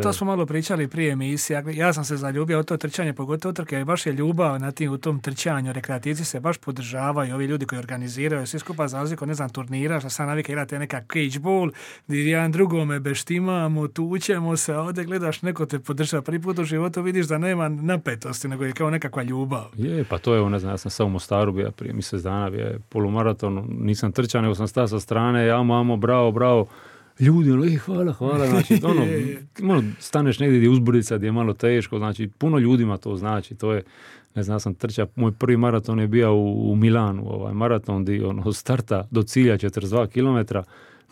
To smo malo pričali prije emisije. Ja sam se zaljubio od to trčanje, pogotovo utrke, i baš je ljubav u tom trčanju. Rekreativci se baš podržavaju, ovi ljudi koji organiziraju, svi skupa za razliku, turnira, što sam navika igrate neka cage ball, gdje jedan drugome beštimamo, tučemo se, a ovdje gledaš, neko te podržava. Prvi put u životu vidiš da nema napetosti, nego je kao nekakva ljubav. Je, pa to je, ja sam sam u Mostaru bio prije mjesec dana, bio je polumaraton, nisam trčao, nego sam stao sa strane, amo, bravo, ljudi, hvala, znači, staneš negdje gdje je uzbrdica, gdje je malo teško, znači, puno ljudima to znači, to je, sam trčao, moj prvi maraton je bio u Milanu, maraton gdje starta do cilja 42 km,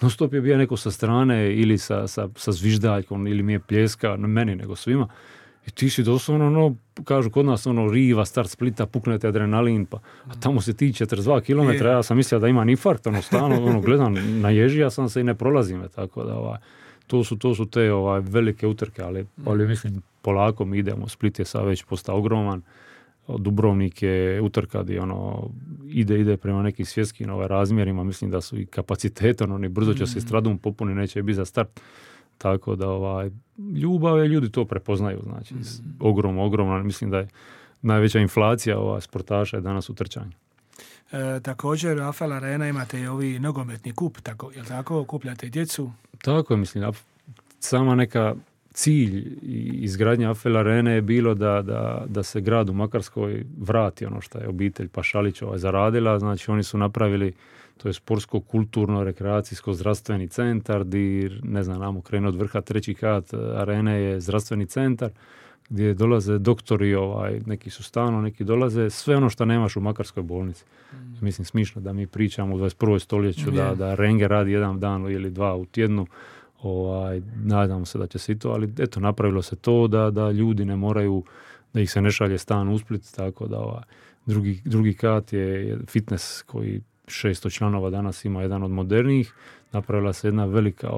non stop je bio neko sa strane ili sa zviždaljkom ili mi je pljeska, ne meni nego svima. I ti si doslovno, kažu kod nas, riva, start Splita, puknete adrenalin, a tamo se ti 42 km, ja sam mislio da imam infarkt, stalno, gledam, naježija sam se i ne prolazim, tako da, to su te velike utrke, ali mislim, polako mi idemo, Split je sad već postao ogroman, Dubrovnik je utrka gdje ide prema nekim svjetskim razmjerima, mislim da su i kapacitete, oni brzo će se stradom popuni, neće biti za start, tako da ljubav je, ljudi to prepoznaju, znači ogromno, mislim da je najveća inflacija sportaša je danas u trčanju. Također u Apfel Arena imate i ovi nogometni kup, je li tako, okupljate djecu? Tako je, mislim, sama neka cilj izgradnje Apfel Arene je bilo da se grad u Makarskoj vrati što je obitelj Pašalić zaradila, znači oni su napravili, to je sportsko, kulturno, rekreacijsko, zdravstveni centar, gdje, namo krenu od vrha, 3. kat arene je zdravstveni centar, gdje dolaze doktori, neki su stalno, neki dolaze, sve ono što nemaš u Makarskoj bolnici. Mislim, smišno da mi pričamo u 21. stoljeću, da renge radi jedan dan ili 2 u tjednu, nadamo se da će se i to, ali eto, napravilo se to da ljudi ne moraju da ih se ne šalje stan u Split, tako da drugi kat je fitness koji 600 članova danas ima, jedan od modernijih. Napravila se jedna velika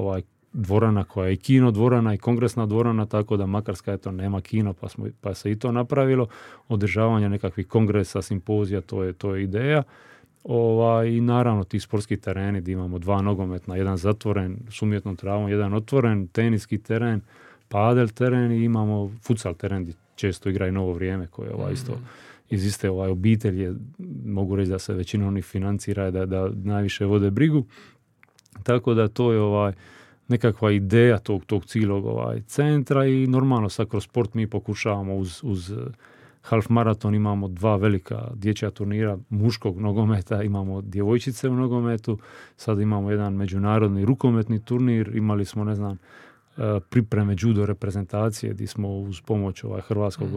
dvorana koja je i kino dvorana i kongresna dvorana, tako da Makarska nema kino, pa se i to napravilo. Održavanje nekakvih kongresa, simpozija, to je ideja. I naravno ti sportski tereni gdje imamo 2 nogometna, jedan zatvoren s umjetnom travom, jedan otvoren, teniski teren, padel teren i imamo futsal teren gdje često igra i Novo Vrijeme koje je isto iz iste obitelji, mogu reći da se većina onih financira, da najviše vode brigu. Tako da to je nekakva ideja tog cijelog centra i normalno sad kroz sport mi pokušavamo uz half maraton imamo 2 velika dječja turnira muškog nogometa, imamo djevojčice u nogometu, sad imamo jedan međunarodni rukometni turnir, imali smo pripreme judo reprezentacije gdje smo uz pomoć Hrvatskog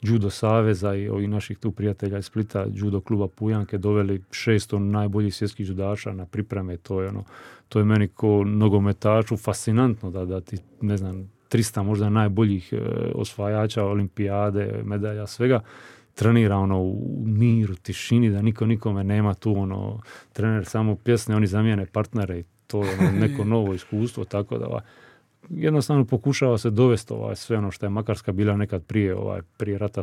judo saveza i naših tu prijatelja iz Splita, judo kluba Pujanke, doveli 600 najboljih svjetskih judaša na pripreme. To je meni ko nogometaču fascinantno da ti, 300 možda najboljih osvajača olimpijade, medalja, svega, trenira u miru, tišini, da niko nikome nema tu, trener samo pjesne, oni zamijene partnere i to je neko novo iskustvo, tako da jednostavno pokušava se dovesti sve ono što je Makarska bila nekad prije rata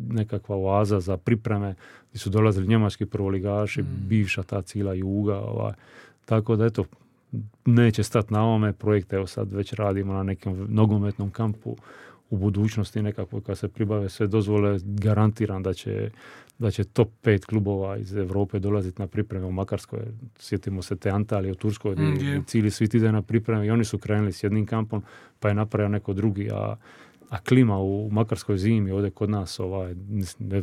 nekakva oaza za pripreme gdje su dolazili njemački prvoligaši, bivša ta cijela juga, tako da eto, neće stati na ovome projekte, evo sad već radimo na nekom nogometnom kampu u budućnosti nekako kad se pribave sve dozvole, garantiram da će top 5 klubova iz Europe dolaziti na pripreme u Makarskoj. Sjetimo se te Antalije u Turskoj gdje cijeli svijet ide na pripreme i oni su krenuli s jednim kampom pa je napravio neko drugi, a klima u Makarskoj zimi ovdje kod nas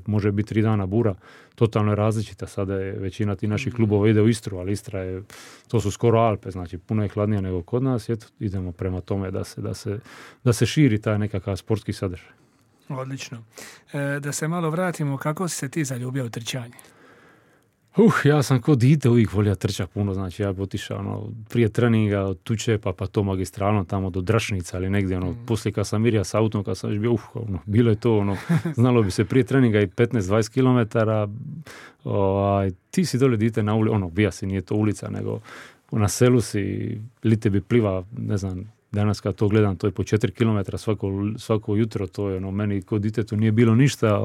može biti 3 dana bura, totalno je različita. Sada je većina ti naših klubova ide u Istru, ali Istra to su skoro Alpe, znači puno je hladnije nego kod nas. Eto, idemo prema tome da se širi taj nekakav sportski sadržaj. Odlično. Da se malo vratimo, kako si se ti zaljubio u trčanje? Ja sam ko dite uvijek volio trčati puno, znači ja bi otišao prije treninga od Tuče pa to magistralno tamo do Drašnica ili negdje, poslije kad sam mirja s autom, kad sam već bio, bilo je to, znalo bi se prije treninga i 15-20 kilometara, ti si dole dite na ulici, bija si, nije to ulica, nego na selu si, lite bi pliva, danas kad to gledam, to je po 4 kilometra svako jutro, to je meni kod ditetu nije bilo ništa,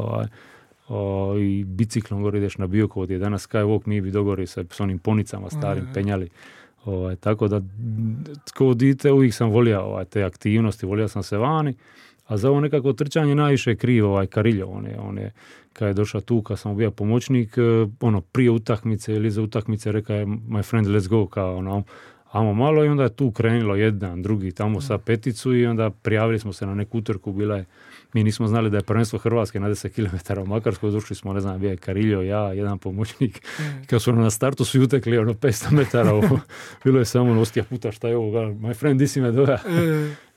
i biciklom gore ideš na Biokovo, gdje je danas Skywalk, mi bi dogori se s onim ponicama starim penjali. Tako da, kao dite uvijek sam volio te aktivnosti, volio sam se vani, a za ovo nekako trčanje najviše je kriv Kariljo. On je, kad je došao tu, kad sam bio pomoćnik, prije utakmice ili za utakmice rekao je my friend, let's go, kao amo malo, i onda je tu krenilo jedan, drugi, tamo sa peticu i onda prijavili smo se na neku utrku, mi nismo znali da je prvenstvo Hrvatske na 10 km u Makarskoj, došli smo, bio je Kariljo, ja, jedan pomoćnik, kad su na startu svi utekli 500 metara, bilo je samo ostija puta, šta je ovo, my friend, di si me doja.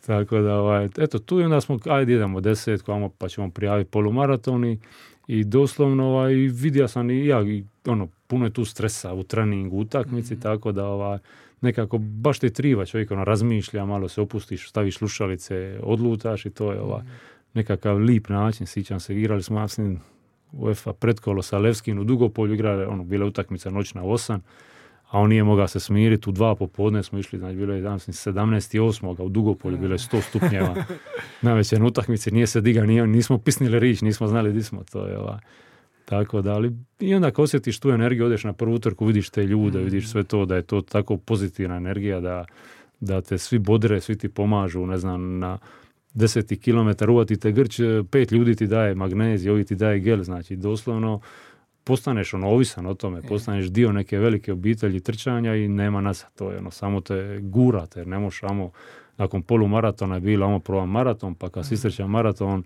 Tako da, eto, tu i onda smo, ajde idemo 10, pa ćemo prijaviti polumaratoni i doslovno, vidio sam i ja, puno je tu stresa u treningu, utakmici, tako da, nekako baš te triva, čovjek razmišlja, malo se opustiš, staviš slušalice, odlutaš i to je nekakav lip način. Sjećam se, igrali smo UEFA pretkolo sa Levskim u Dugopolju, igrali, bila utakmica noćna 8, a on nije mogao se smiriti, u 2 popodne smo išli, znači bilo je 17.8. u Dugopolju, bilo je 100 stupnjeva, na večernoj utakmici nije se diga, nismo pisnili rič, nismo znali gdje smo, to je tako da, ali i onda kad osjetiš tu energiju, odeš na prvu utrku, vidiš te ljude, vidiš sve to, da je to tako pozitivna energija, da te svi bodre, svi ti pomažu, na 10 kilometar uvati te grč, 5 ljudi ti daje magnezij, ovi ti daje gel, znači doslovno postaneš ovisan o tome, postaneš dio neke velike obitelji trčanja i nema nazad, to je samo te gurate, jer ne možeš nakon polumaratona je bilo probam maraton, pa kad si istrčam maraton,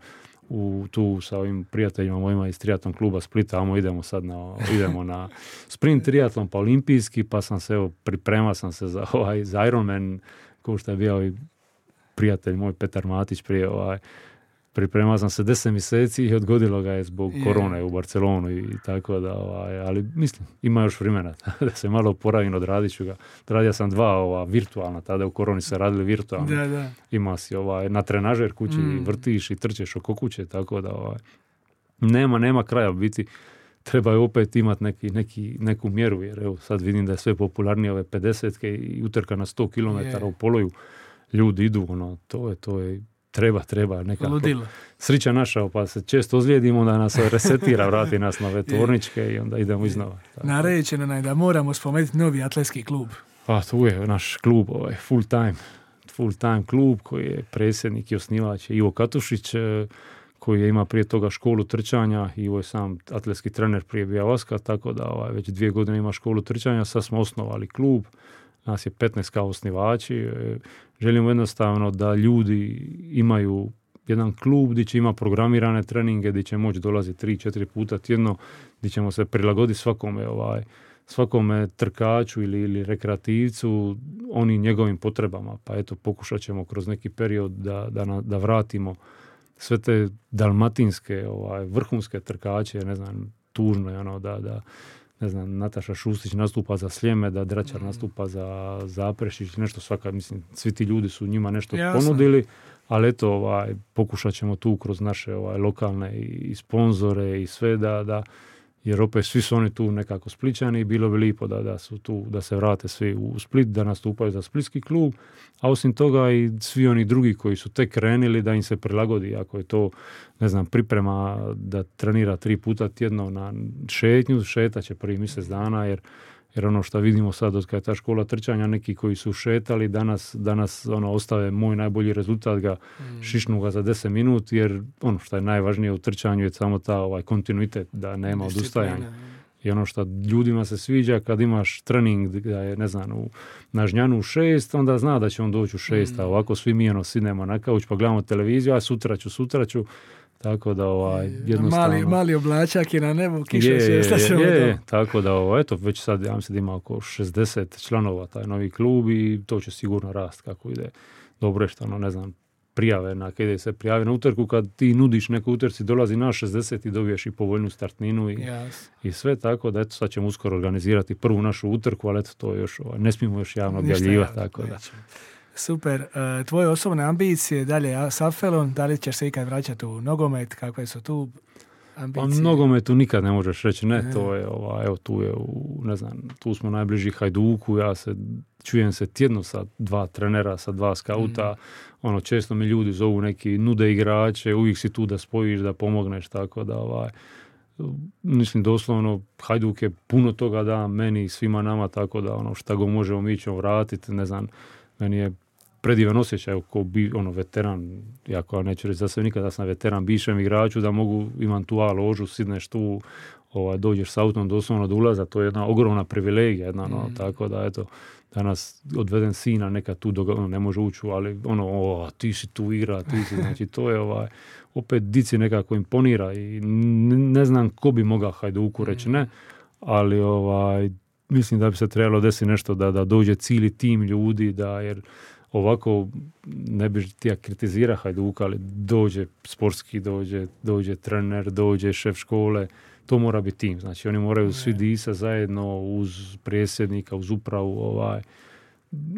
tu sa ovim prijateljima mojima iz triatlon kluba Splita, idemo na sprint triatlon, pa olimpijski, pa sam se, pripremao sam se za Ironman, ko što je bio prijatelj moj Petar Matić prije, pripremao sam se 10 mjeseci i odgodilo ga je zbog korone u Barcelonu i tako da, ali mislim, ima još vremena da se malo oporavim, odradit ću ga. Radio sam 2 virtualna, tada u koroni se radili virtualno. Da. Ima si na trenažer kući, vrtiš i trčeš oko kuće, tako da nema kraja biti. Treba je opet imati neku mjeru, jer evo sad vidim da je sve popularnije ove 50-ke i utrka na 100 km u poloju. Ljudi idu, to je treba nekako. Ludilo. Srića naša, pa se često ozlijedimo, da nas resetira, vrati nas na ove tvorničke i onda idemo iznova. Naređeno nam je da moramo spomenuti novi atletski klub. Pa tu je naš klub, full time klub koji je predsjednik i osnivač Ivo Katušić, koji je ima prije toga školu trčanja. Ivo je sam atletski trener prije Bijavaska, tako da već 2 godine ima školu trčanja. Sad smo osnovali klub, nas je 15 kao osnivači. Želimo jednostavno da ljudi imaju jedan klub gdje će ima programirane treninge, gdje će moći dolaziti 3-4 puta tjedno, gdje ćemo se prilagoditi svakome trkaču ili rekreativcu, oni njegovim potrebama. Pa eto, pokušat ćemo kroz neki period da vratimo sve te dalmatinske vrhunske trkače, ne znam, tužno je da ne znam, Nataša Šustić nastupa za Sljeme, da Dračar nastupa za Zaprešić, nešto svaka, mislim, svi ti ljudi su njima nešto ponudili, ali eto, pokušat ćemo tu kroz naše lokalne i sponzore i sve jer opet svi su oni tu nekako Splićani i bilo bi lijepo da su tu, da se vrate svi u Split, da nastupaju za splitski klub, a osim toga i svi oni drugi koji su tek krenili da im se prilagodi, ako je to, ne znam, priprema da trenira 3 puta tjedno na šetnju, šetat će prvi mjesec dana, jer ono što vidimo sad od kada je ta škola trčanja, neki koji su šetali, danas ostave moj najbolji rezultat, šišnu ga za 10 minuta, jer ono što je najvažnije u trčanju je samo ta kontinuitet, da nema odustajanja. I ono što ljudima se sviđa, kad imaš trening da je, ne znam, na Žnjanu 6, onda zna da će on doći u 6, a ovako svi mi sidnemo na kauč pa gledamo televiziju, a sutra ću. Tako da jednostavno... Mali oblačak je na nebu, kiša svijesta se je, tako da eto, već sad ja mislim da ima oko 60 članova taj novi klub i to će sigurno rast kako ide. Dobro je što, ne znam, prijave, kada se prijave na utrku, kad ti nudiš neku utrci, dolazi na 60 i dobiješ i povoljnu startninu i sve, tako da eto, sad ćemo uskoro organizirati prvu našu utrku, ali eto, to još, ne smijemo još javno objavljivati, tako da. Super. Tvoje osobne ambicije dalje s Apfelom, da li ćeš se ikad vraćati u nogomet, kakve su tu ambicije? Pa nogometu nikad ne možeš reći, ne, to je, evo tu je, ne znam, tu smo najbliži Hajduku, čujem se tjedno sa 2 trenera, sa 2 skauta, često mi ljudi zovu neki nude igrače, uvijek si tu da spojiš, da pomogneš, tako da mislim doslovno Hajduk je puno toga da meni i svima nama, tako da šta go možemo mi ćemo vratiti, ne znam, meni je predivan osjećaj ko veteran, jako neću reći za sve nikada sam veteran, bivšem igraču, da imam tu A ložu, sidneš tu, dođeš s autom doslovno do ulaza, to je jedna ogromna privilegija, tako da eto, danas odveden sina neka tu ne može ući, ali ti si tu igra, znači to je opet dici nekako imponira i ne znam ko bi mogao Hajduku reći ne, ali mislim da bi se trebalo desiti nešto da dođe cijeli tim ljudi, jer ovako ne bi ti kritizira Hajduka, ali dođe sportski, dođe trener, dođe šef škole, to mora biti tim. Znači oni moraju svi disa zajedno uz predsjednika, uz upravu.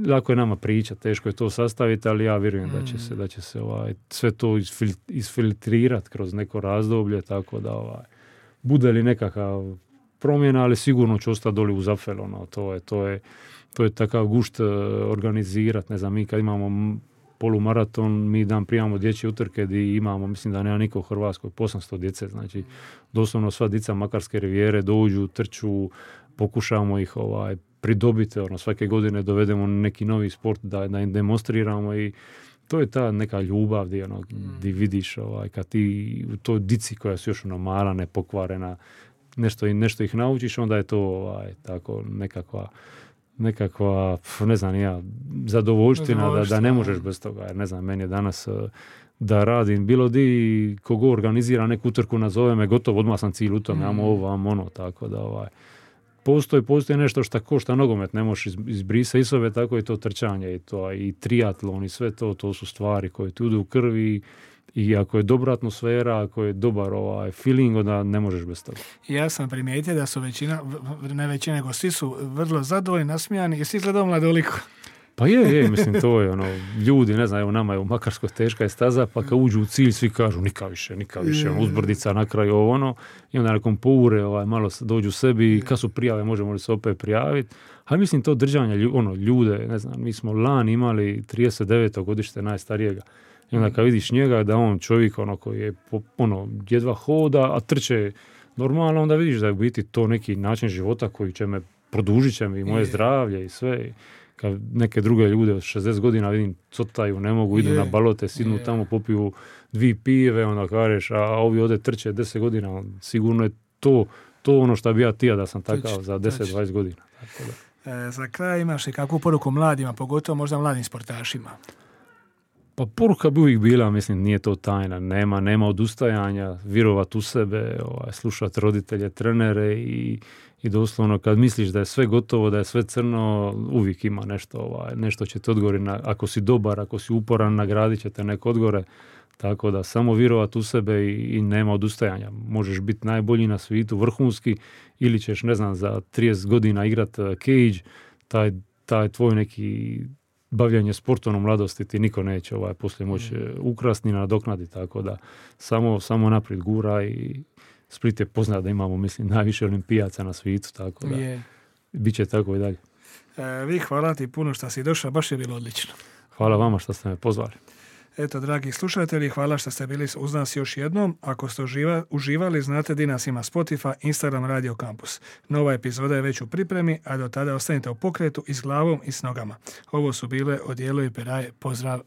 Lako je nama priča, teško je to sastaviti, ali ja vjerujem da će se sve to isfiltrirati kroz neko razdoblje, tako da bude li nekakav promjena, ali sigurno će ostati doli uz Apfel, to je takav gušt organizirati, ne znam, mi kad imamo polumaraton, mi dan primamo dječje utrke gdje imamo, mislim da nema niko u Hrvatskoj, 800 djece, znači doslovno sva djeca Makarske rivijere dođu, trču, pokušamo ih pridobiti, svake godine dovedemo neki novi sport da im demonstriramo i to je ta neka ljubav gdje vidiš kad ti u toj dici koja su još mala, nepokvarena, nešto ih naučiš, onda je to tako nekakva, ne znam, zadovoljština da ne možeš bez toga. Jer ne znam, meni je danas da radim bilo di, kogo organizira neku utrku, nazove me, gotovo, odmah sam cilj u tome, tako da postoji nešto što košta nogomet, ne možeš izbrisati iz sebe, tako je to trčanje i triatlon i sve to su stvari koje ti idu u krvi i ako je dobra atmosfera, ako je dobar feeling, onda ne možeš bez toga. Ja sam primijetio da su ne većina, nego svi su vrlo zadovoljni, nasmijani i svi gledaju Mladoliku. Pa je, mislim, to je ljudi, ne znam, evo nama je u Makarskoj teška je staza, pa kad uđu u cilj, svi kažu nikad više, uzbrdica na kraju i onda nakon poure, malo dođu sebi i kad su prijave, možemo li se opet prijaviti. A mislim, to držanje ljude, ne znam, mi smo lani imali 39. godište najstarijega. I onda kad vidiš njega, da on čovjek koji je jedva hoda, a trče normalno, onda vidiš da je u biti to neki način života koji će me, produžit će mi moje zdravlje i sve. Kad neke druge ljude od 60 godina vidim cotaju, ne mogu, idu na balote, sidnu tamo, popiju 2 pive, onda kažeš, a ovi ovdje trče 10 godina, sigurno je to ono što bi ja tija da sam takav za 10-20 godina. Tako da. Za kraj imaš i kakvu poruku mladima, pogotovo možda mladim sportašima? Pa poruka bi uvijek bila, mislim, nije to tajna, nema odustajanja, vjerovat u sebe, slušati roditelje, trenere i doslovno kad misliš da je sve gotovo, da je sve crno, uvijek ima nešto će te odgori, ako si dobar, ako si uporan, nagradit će te neko odgore, tako da samo vjerovat u sebe i nema odustajanja. Možeš biti najbolji na svijetu, vrhunski, ili ćeš, ne znam, za 30 godina igrat cage, taj tvoj neki bavljanje sportom u mladosti ti niko neće poslije moći ukrasni nadoknaditi, tako da samo naprijed gura i Split je poznat da imamo, mislim, najviše olimpijaca na svijetu, tako da bit će tako i dalje. Vi hvala ti puno što si došao, baš je bilo odlično. Hvala vama što ste me pozvali. Eto, dragi slušatelji, hvala što ste bili uz nas još jednom. Ako ste uživali, znate di nas ima Spotify, Instagram, Radio Campus. Nova epizoda je već u pripremi, a do tada ostanite u pokretu i s glavom i s nogama. Ovo su bile Odijelo i Peraje. Pozdrav!